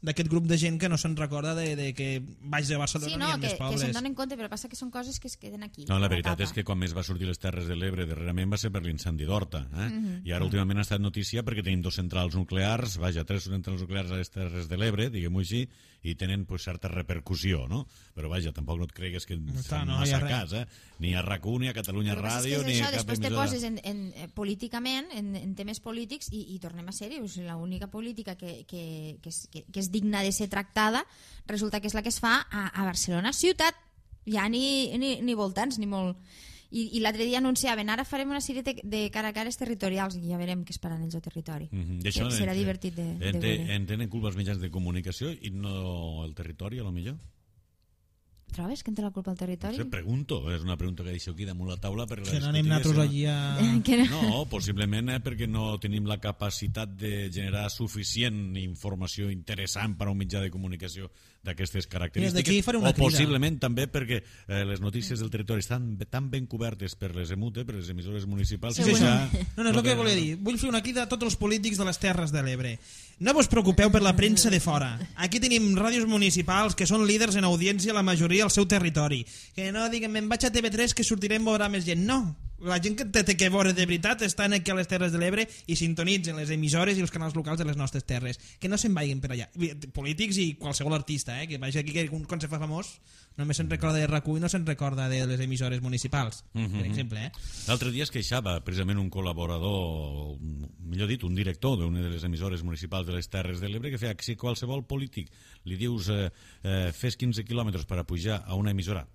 d'aquest grup de gent que no se'n recorda de, de que baix de Barcelona sí n'hi no, ha que, més que pobres. se'n donen compte, però passa que són coses que es queden aquí. No, la a veritat tapa. és que quan més va sortir les Terres de l'Ebre darrerament va ser per l'incendi d'Horta, eh? I ara últimament ha estat notícia perquè tenim dos centrals nuclears, vaja, tres centrals nuclears a les Terres de l'Ebre, diguem-ho així, i tenen pues, certa repercussió, no? Però vaja, tampoc no et cregues que està, fan no hi ha massa res. cas, eh? Ni a RAC u, ni a Catalunya El que passa és Ràdio, que és ni a això, cap després te emissora. poses en, en, eh, políticament, en, en temes polítics, i, i tornem a ser-hi. O sigui, l'única política que, que, que, és, que, que és digna de ser tractada resulta que és la que es fa a, a Barcelona ciutat. Ja ni, ni, ni voltants, ni molt... I, i l'altre dia anunciaven, ara farem una sèrie de, de cara a cares territorials i ja veurem què es faran ells al territori. Mhm. I això, Que serà en- divertit de, de en, veure. en tenen culpa els mitjans de comunicació i no el territori, a lo millor? Trobes que en té la culpa al territori? Se pregunto, és una pregunta que deixo aquí damunt la taula per Que no anem nosaltres allí a... Que no. No, possiblement eh, perquè no tenim la capacitat de generar suficient informació interessant per a un mitjà de comunicació d'aquestes Mira, característiques, d'aquí faré una o crida. possiblement també perquè eh, les notícies del territori estan tan ben cobertes per les EMUTE, per les emissores municipals, Sí, que això. ja... No, no, és el que volia dir. Vull fer una crida a tots els polítics de les Terres de l'Ebre. No vos preocupeu per la premsa de fora. Aquí tenim ràdios municipals que són líders en audiència la majoria al seu territori. Que no diguem, me'n vaig a T V tres que sortirem veurà més gent. No, la gent que té que veure de veritat estan aquí a les Terres de l'Ebre i sintonitzen les emissores i els canals locals de les nostres terres. Que no se'n vagin per allà. Polítics i qualsevol artista, eh? Que vagi aquí, que quan se fa famós només se'n recorda de RAC u i no se'n recorda de les emissores municipals, per exemple, eh? L'altre dia es queixava precisament un col·laborador, millor dit, un director d'una de les emissores municipals de les Terres de l'Ebre, que feia que si qualsevol polític li dius eh, eh, fes quinze quilòmetres per a pujar a una emissora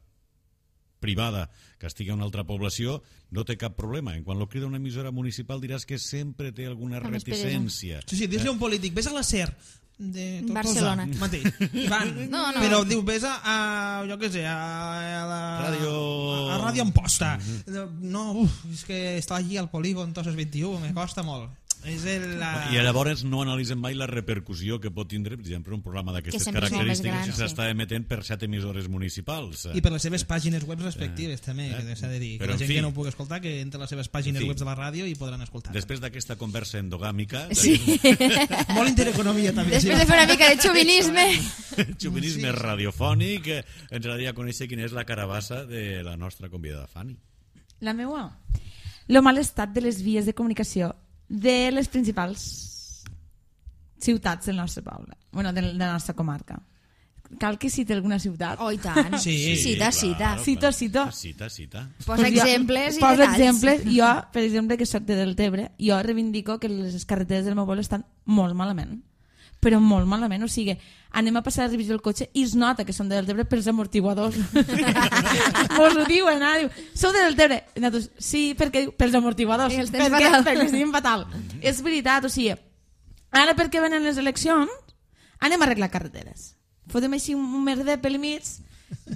privada que estigui a una altra població, no té cap problema. En quan lo crida una emissora municipal diràs que sempre té alguna Com és reticència. Sí, sí, dius-li a un polític, vés a la SER de Tortosa, Barcelona. mateix. Van. No, no. Però diu, vés a, a jo què sé, a, a la... Ràdio... A, a Ràdio Amposta. No, uf, és que està allí al polígon Tosses vint-i-u, me costa molt. És el, la... I llavors no analitzen mai la repercussió que pot tindre, per exemple, un programa d'aquestes Que sempre és molt més característiques gran, si s'està emetent per set emissores municipals. I per les seves pàgines web respectives, també, eh, que s'ha de dir. Que però, la gent en fi, que no ho pugui escoltar, que entre les seves pàgines en fi, web de la ràdio i podran escoltar. Després d'aquesta conversa endogàmica, Sí. Molt intereconomia, també. Després de fer una mica de xovinisme. xovinisme radiofònic, eh, ens agradaria conèixer quina és la carabassa de la nostra convidada Fanny. La meua? Lo mal estat de les vies de comunicació de les principals ciutats del nostre poble, bueno, de la nostra comarca. Cal que citi alguna ciutat? Oh, i tant. Sí, cita, claro, cita. Cito, cito. Cita, cita. Posa Pues jo- exemples i poso detalls. exemples. Jo, per exemple, que soc de Deltebre, jo reivindico que les carreteres del meu poble estan molt malament. Però molt malament, o sigui, anem a passar la revisió del cotxe i es nota que som de Deltebre pels amortiguadors. Mos ho diuen, ah, diu, sou de Deltebre? I nosaltres, sí, perquè diu, pels amortiguadors. I els tens perquè, fatal. perquè estem fatal. És veritat, o sigui, ara perquè venen les eleccions, anem a arreglar carreteres. Fotem així un merder pel mig,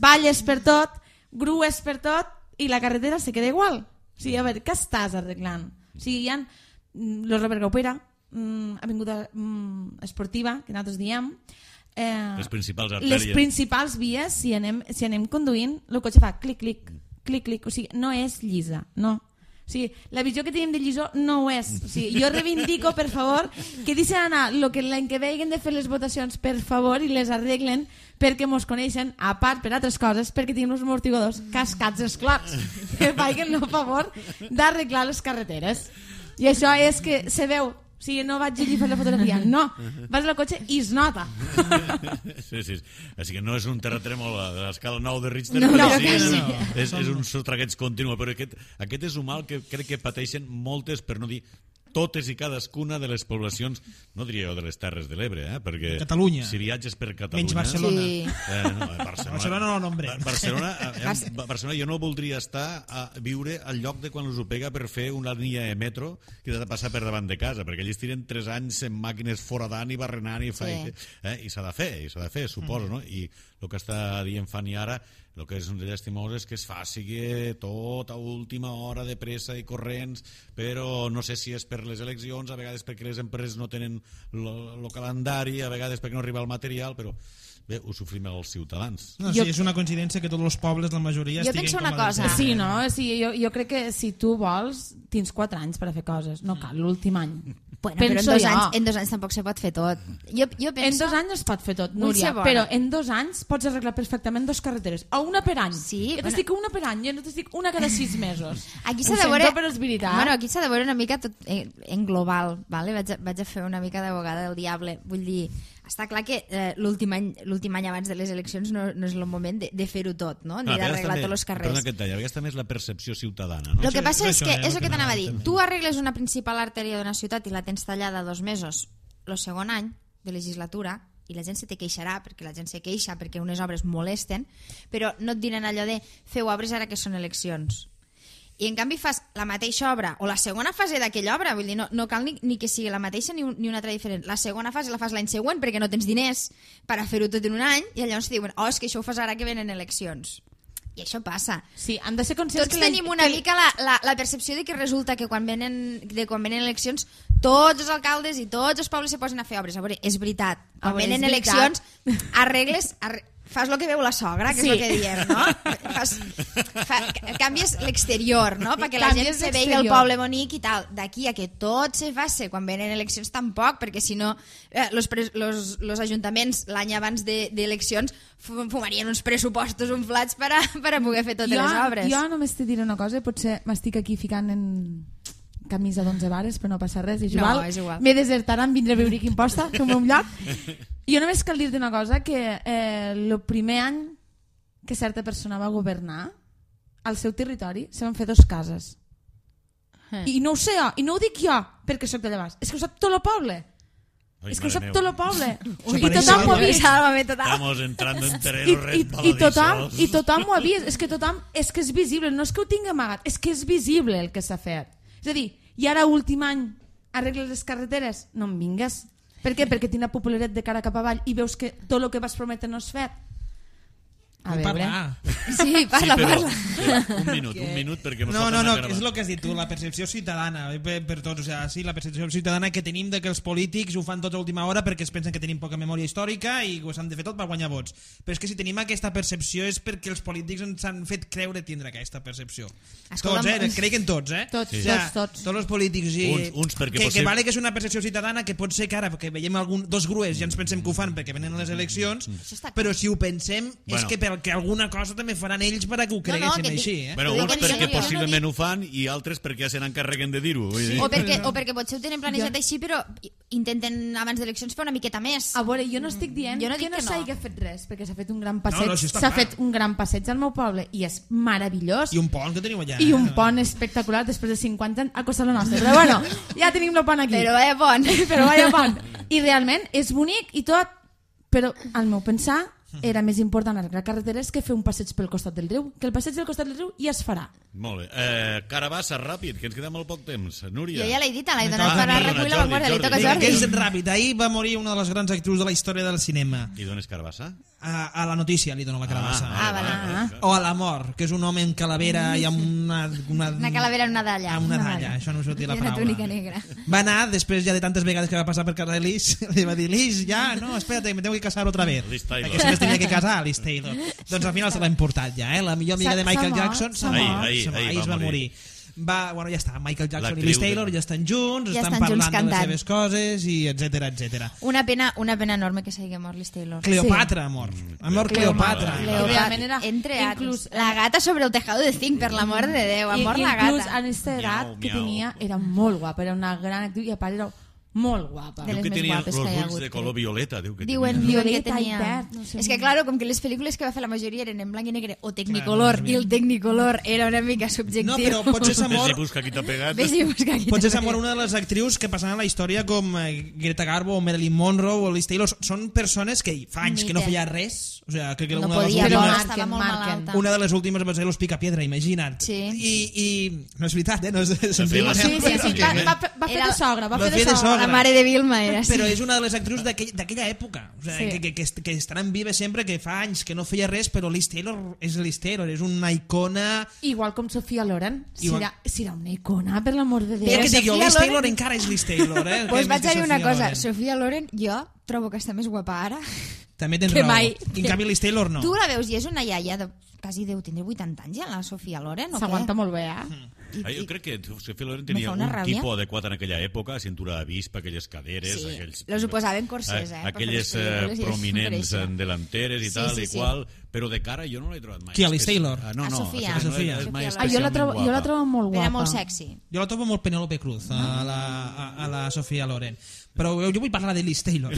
valles per tot, grues per tot, i la carretera se queda igual. O sigui, a veure, què estàs arreglant? O sigui, hi ha mm, lo Robert Gaupera, mm, avinguda mm, esportiva, que nosaltres diem, eh, Les principals les artèries. principals vies, si anem, si anem conduint, el cotxe fa clic, clic, clic, clic, o sigui, no és llisa, no. O sigui, la visió que tenim de lliçó no ho és. O sigui, jo reivindico, per favor, que deixen anar el que l'any que veguen de fer les votacions, per favor, i les arreglen perquè mos coneixen, a part per altres coses, perquè tenim els amortiguadors cascats esclats, que facin el favor d'arreglar les carreteres. I això és que se veu. O sigui, no vaig allí a fer la fotografia, no. Vas al cotxe i es nota. Sí, sí. Així que no és un terratrèmol de l'escala nou de Richter, No, però no, sí, que és, sí. és, és un sotragueig continu. Però aquest, aquest és un mal que crec que pateixen moltes, per no dir totes i cadascuna de les poblacions, no diria jo de les Terres de l'Ebre, eh? Perquè Catalunya. si viatges per Catalunya... Menys Barcelona. Sí. Eh, no, Barcelona, Barcelona no nombre. Ba- Barcelona, eh, Barcelona jo no voldria estar a viure al lloc de quan us ho pega per fer una línia de metro que ha de passar per davant de casa, perquè allí estiren tres anys en màquines foradant i barrenant i, fa, Sí. eh, i s'ha de fer, i s'ha de fer, suposo, no? I el que està dient Fanny ara, el que és un llastimós és que es faci tot a última hora de pressa i corrents, però no sé si és per les eleccions, a vegades perquè les empreses no tenen el calendari, a vegades perquè no arriba el material, però bé, ho sofrim els ciutadans. No, Jo- sí, és una coincidència que tots els pobles, la majoria, Jo estiguen penso com una a cosa. Deltebre. Sí, no? O sigui, jo, jo crec que si tu vols, tens quatre anys per a fer coses. No cal l'últim any. Bueno, però en Penso dos, jo. anys, en dos anys tampoc se pot fer tot. Jo, jo En penso... dos anys es pot fer tot, Vull Núria, ser bona. però en dos anys pots arreglar perfectament dos carreteres, a una per any. Sí, jo bueno. t'estic una per any, jo no t'estic una cada sis mesos. Aquí Ho s'ha de sento, veure... però és veritat. Bueno, aquí s'ha de veure una mica tot en, en global, vale? vaig, a, vaig a fer una mica d'abogada del diable. Vull dir, està clar que eh, l'últim any, l'últim any abans de les eleccions no, no és el moment de, de fer-ho tot, no? Ni Ah, a vegades d'arreglar també- tots els carrers. Perdona que et talli, a vegades també és la percepció ciutadana, no? El que passa és és això, que eh, és el el que que t'anava a dir. anava a Tu arregles una principal artèria d'una ciutat i la tens tallada dos mesos, el segon any de legislatura, i la gent se te queixarà perquè la gent se queixa perquè unes obres molesten, però no et diran allò de feu obres ara que són eleccions. I en canvi fas la mateixa obra o la segona fase d'aquella obra, vull dir, no, no cal ni, ni que sigui la mateixa ni, un, ni una altra diferent. La segona fase la fas l'any següent perquè no tens diners per a fer-ho tot en un any i llavors diuen, oh, és que això ho fas ara que venen eleccions. I això passa. Sí, han de ser conscients Tots que... la- tenim una que- mica la, la, la percepció de que resulta que quan venen, de quan venen eleccions tots els alcaldes i tots els pobles se posen a fer obres. A veure, és veritat. Quan A veure, venen és veritat. eleccions arregles... Arre... Fas el que veu la sogra, que Sí. és el que diem, no? Fas, fa, canvies l'exterior, no? Perquè la gent Canvies se vegi el l'exterior. poble bonic i tal. D'aquí a que tot se faci quan venen eleccions tampoc, perquè si no eh, los, pres, los, los ajuntaments l'any abans de- d'eleccions de, fumarien uns pressupostos inflats per a, per a poder fer totes jo, les obres. Jo només te diré una cosa, potser m'estic aquí ficant en camisa d'onze vares, però no passa res, és No, igual. és igual. Me desertaran, vindré a veure quin posta, fem un lloc. Jo només cal dir-te una cosa, que eh, el primer any que certa persona va governar, al seu territori se van fer dos cases. Eh. I no ho sé jo, i no ho dic jo perquè sóc de Llavars, és que ho sap tot el poble. És que ho sap mare tot meva. el poble. Ui, I tothom ho ha vist. Sálvame total. Estamos entrando en I, terrenos i, i, tothom, resbaladizos. I tothom ho ha vist. És que tothom, és que és visible. No és que ho tingui amagat, és que és visible el que s'ha fet. És a dir, i ara últim any arregles les carreteres? No em vingues. Per què? Perquè tinc la popularitat de cara cap avall i veus que tot el que vas prometre no és fet. A Vull veure... parlar. Sí, parla, sí, però, parla. però, un minut, un minut, perquè No, no, no, és el que has dit tu, la percepció ciutadana, per, per tots, o sea, sí, la percepció ciutadana que tenim de que els polítics ho fan tot a última hora perquè es pensen que tenim poca memòria històrica i ho s'han de fer tot per guanyar vots. Però és que si tenim aquesta percepció és perquè els polítics ens han fet creure tindre aquesta percepció. Escolta'm, Tots, eh? Crec que en tots, eh? Tots, O sí. tots, tots. Tots els polítics. I, Uns- uns perquè que, possible- que vale que és una percepció ciutadana que pot ser que ara, que veiem algun, dos grues i ens pensem que ho fan perquè venen les eleccions, Això està clar. però si ho pensem és Bueno. que perquè alguna cosa també faran ells per a que ho no, creguessin que di- així, eh? Bueno, Ho dic uns en perquè sèrio, jo no possiblement dic- ho fan i altres perquè ja se n'encarreguen de dir-ho. vull dir. O perquè, o perquè potser ho tenen planejat així, però intenten abans d'eleccions fer una miqueta més. A veure, jo no estic dient Jo no que dic no que no. s'hagi fet res, perquè s'ha fet un gran passeig, no, això està s'ha clar. fet un gran passeig al meu poble i és meravellós. I un pont que teniu allà. I eh? un pont espectacular després de cinquanta anys a Costa la Nostra. Però bueno, ja tenim el pont aquí. Però vaya pont. Però vaya pont. I realment és bonic i tot, però al meu pensar era més important arreglar carreteres que fer un passeig pel costat del riu, que el passeig del costat del riu ja es farà. Molt bé. Eh, Carabassa, ràpid, que ens queda molt poc temps. Núria. Jo ja l'he dit, l'he Ah, donat per a perdona, recull la Jordi, vanguardia, li Jordi. toca a Vinga, que és Jordi. ràpid. Ahir va morir una de les grans actrius de la història del cinema. I d'on és Carabassa? A, a la notícia li dono la carabassa. Ah, vale. Ah. O a la mort, que és un home amb calavera i amb una... Una, Una calavera en una dalla. Amb una Una dalla, dalla. això no em sortia la I una paraula. túnica negra. Va anar, després ja de tantes vegades que va passar per casa de Liz, li va dir, Liz, ya, no, espérate, me tengo que casar otra vez. Liz Taylor. Perquè sempre es tenia que casar, Liz Taylor. Doncs al final se l'ha importat ja, eh? La millor amiga S'ha- de Michael s'ha mort, Jackson s'ha s'ha Ahir, mort. ahir, S'ha mort, ahir ahir va es va morir. morir. Va, bueno, ja està, Michael Jackson i L'actriu Liz Taylor de- ja estan junts, Ja estan estan junts parlant de les cantant. seves coses i etcètera, etcètera. Una pena, una pena enorme que s'hagi mort Liz Taylor. Cleopatra ha mort. Ha mort Cleopatra. Cleopatra. Realment era- Entre inclús- inclús la gata sobre el tejado de zinc, per l'amor de Déu, ha I, mort i la inclús gata. en aquesta edat Miau, que miau. tenia era molt guapa, era una gran actriu i a part era molt guapa. De Diu les que més tenia guapes els que hi ha ulls hagut, de color crec. violeta. Diu que Diuen, tenia. diuen que Violeta i tenia... verd, no sé. És que, claro, com que les pel·lícules que va fer la majoria eren en blanc i negre o Technicolor, i el Technicolor era una mica subjectiu. No, però potser s'ha Ves i mort... busca qui t'ha pegat. Ves i busca aquí. Potser s'ha mort una de les actrius que passaran a la història com eh, Greta Garbo o Marilyn Monroe o Liz Taylor. Són persones que fa anys que no Mite. feia res. O sea, crec que No una de les podia, Però no, últimes... estava marquen, molt marquen. malalta. Una de les últimes va ser l'Os Picapiedra, imagina't. Sí. I, I no és veritat, eh? No és, se'n feia la- riuen, Sí, sí, sí, va, va, va fer Era- de sogra, va va fer de fer de sogra. sogra. La mare de Vilma era, sí. Però és una de les actrius d'aquell- d'aquella època. O sea, Sí. que, que, que, que estaran vives sempre, que fa anys que no feia res, però Liz Taylor és Liz Taylor, és una icona... Igual com Sofia Loren. Si Igual- era, si era una icona, per l'amor de Però Déu. que dic jo, Sofia Liz Loren- Taylor encara és Liz Taylor, eh? Pues Que vaig més a que dir una Sofia cosa, Loren. Sofia Loren jo trobo que està més guapa ara. També tens que raó. mai. I en canvi Liz Taylor no. Tu la veus i és una iaia de quasi deu tindre vuitanta anys ja, la Sofia Loren, o què? S'aguanta molt bé, eh? I- Ah, jo i- crec que Sofia Loren Me tenia fa un una ràbia. tipus adequat en aquella època, cintura d'avispa, aquelles caderes... Sí, aquells, los ho posaven corsers, eh, per fer Aquelles les pel·lícules eh, i prominents això. eh, delanteres i Sí, tal sí, i sí. qual, però de cara jo no l'he trobat mai. Qui, a Liz És que- Taylor? Ah, no, A no, Sofia. a Sofia. No és mai Sofia Ah, jo la especialment trobo, jo la guapa. trobo molt guapa. Era molt sexy. Jo la trobo molt Penélope Cruz, a la, a, a la Sofia Loren. Però jo vull parlar de Liz Taylor.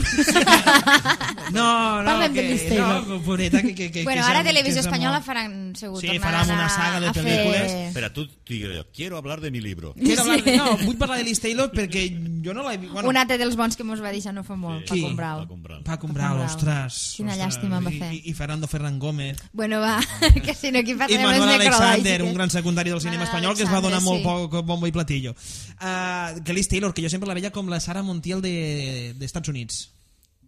No, no, Parlem de que, Liz Taylor. no, pobreta, que, que, que, Bueno, que ara s'ha- Televisió que s'ha Espanyola mort. faran segur, Sí, tornaran faran una a- saga de a fer- pel·lícules. Espera, tu digues, quiero hablar de mi libro. Quiero hablar de, no, vull parlar de Liz Taylor perquè jo no l'he vist... Bueno, Un altre dels bons que mos va deixar no fa molt, Qui? Paco Brau. Paco Brau. Paco Brau, Brau. ostres. Quina ostres, llàstima em va i- fer. I, I Fernando Ferran Gómez. Bueno, va, que si no aquí I passarem Manuel les Alexander, necrològiques. un gran secundari del cinema Manuel espanyol que es va donar molt Alexander, poc bombo i platillo. Uh, que Liz Taylor, que jo sempre la veia com la Sarah Montiel de, de Estats Units.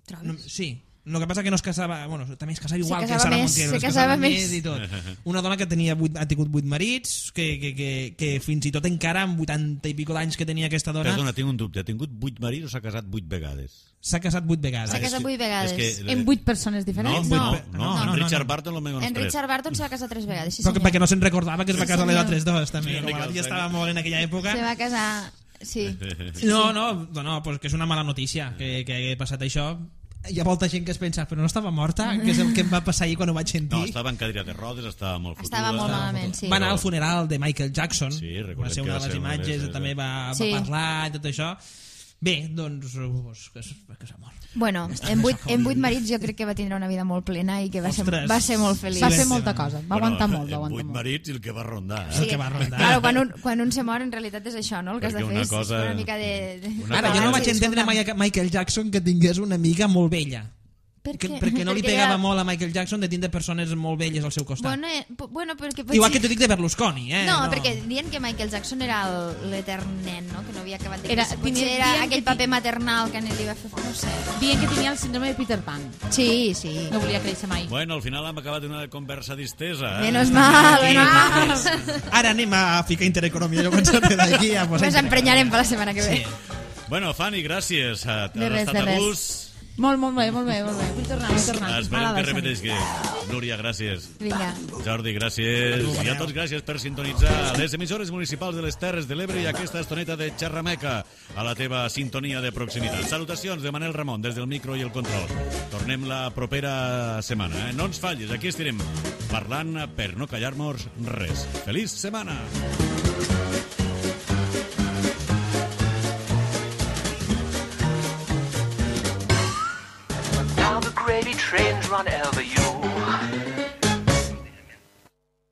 Trobes? No, sí, el que passa que no es casava... Bueno, també es casava igual Se que casava Sarah més, Montiel. se es casava més. i tot. Una dona que tenia vuit, ha tingut vuit marits, que, que, que, que fins i tot encara amb vuitanta i pico d'anys que tenia aquesta dona, Perdona, tinc un dubte. Ha tingut vuit marits o s'ha casat vuit vegades? s'ha casat vuit vegades. S'ha casat vuit vegades. És que- En vuit persones No, diferents? no, No, no, no, en no, Richard no. Barton almenys En tres. Richard Barton se va casar tres vegades, sí Però que, senyor. perquè no se'n recordava que es va Sí, casar les senyor. altres dos, també. Sí, Com una la mica tia el estava molt en aquella època. Se va casar... Sí. No, no, no, no pues que és una mala notícia que, que hagi passat això. Hi ha molta gent que es pensa, però no estava morta, que és el que em va passar ahir quan ho vaig sentir. No, estava en cadira de rodes, estava molt fotuda. Estava molt malament, sí. Va anar al funeral de Michael Jackson, Sí, recordem va ser que una va de les ser una de imatges, les- també va, Sí. va parlar i tot això. Bé, doncs, pues, que és, que és amor. Bueno, en vuit, en vuit marits jo crec que va tindre una vida molt plena i que va, ser, va ser molt feliç. Va fer molta cosa, va aguantar molt, va aguantar vuit molt. marits i el que va rondar. Sí, el que va rondar. Claro, quan, un, quan un se mor, en realitat és això, no? El que has de Perquè fer una és cosa- una mica de... de... una Ara, jo no cosa- vaig entendre mai a Michael Jackson que tingués una amiga molt vella. Per Que, què? perquè no li Perquè pegava era- molt a Michael Jackson de tindre persones molt velles al seu costat. Bueno, eh, p- bueno perquè potser... Igual que t'ho dic de Berlusconi, eh? No, perquè diuen que Michael Jackson era el- l'etern nen, no? Que no havia acabat de Era- créixer. Potser dient- era dient aquell que paper ti- maternal que li va fer... No sé. Dient que tenia el síndrome de Peter Pan. Sí, sí. No volia créixer mai. Bueno, al final hem acabat una conversa distesa. Eh? Menos mal, Sí, menos mal. sí. Ara anem a ficar intereconomia, jo penso que d'aquí a posar... Ens emprenyarem per la setmana que ve. Bueno, Fanny, gràcies. Has De res, estat de a res. gust. Molt, molt bé, molt bé, molt bé. Vull tornar, vull tornar. Esperem Mala que baixa. repetisqui. Núria, gràcies. Vinga. Jordi, gràcies. I a tots gràcies per sintonitzar les emissores municipals de les Terres de l'Ebre i aquesta estoneta de xerrameca a la teva sintonia de proximitat. Salutacions de Manel Ramon des del micro i el control. Tornem la propera setmana. Eh? No ens fallis, aquí estirem parlant per no callar-nos res. Feliç setmana! Now the gravy trains run over you.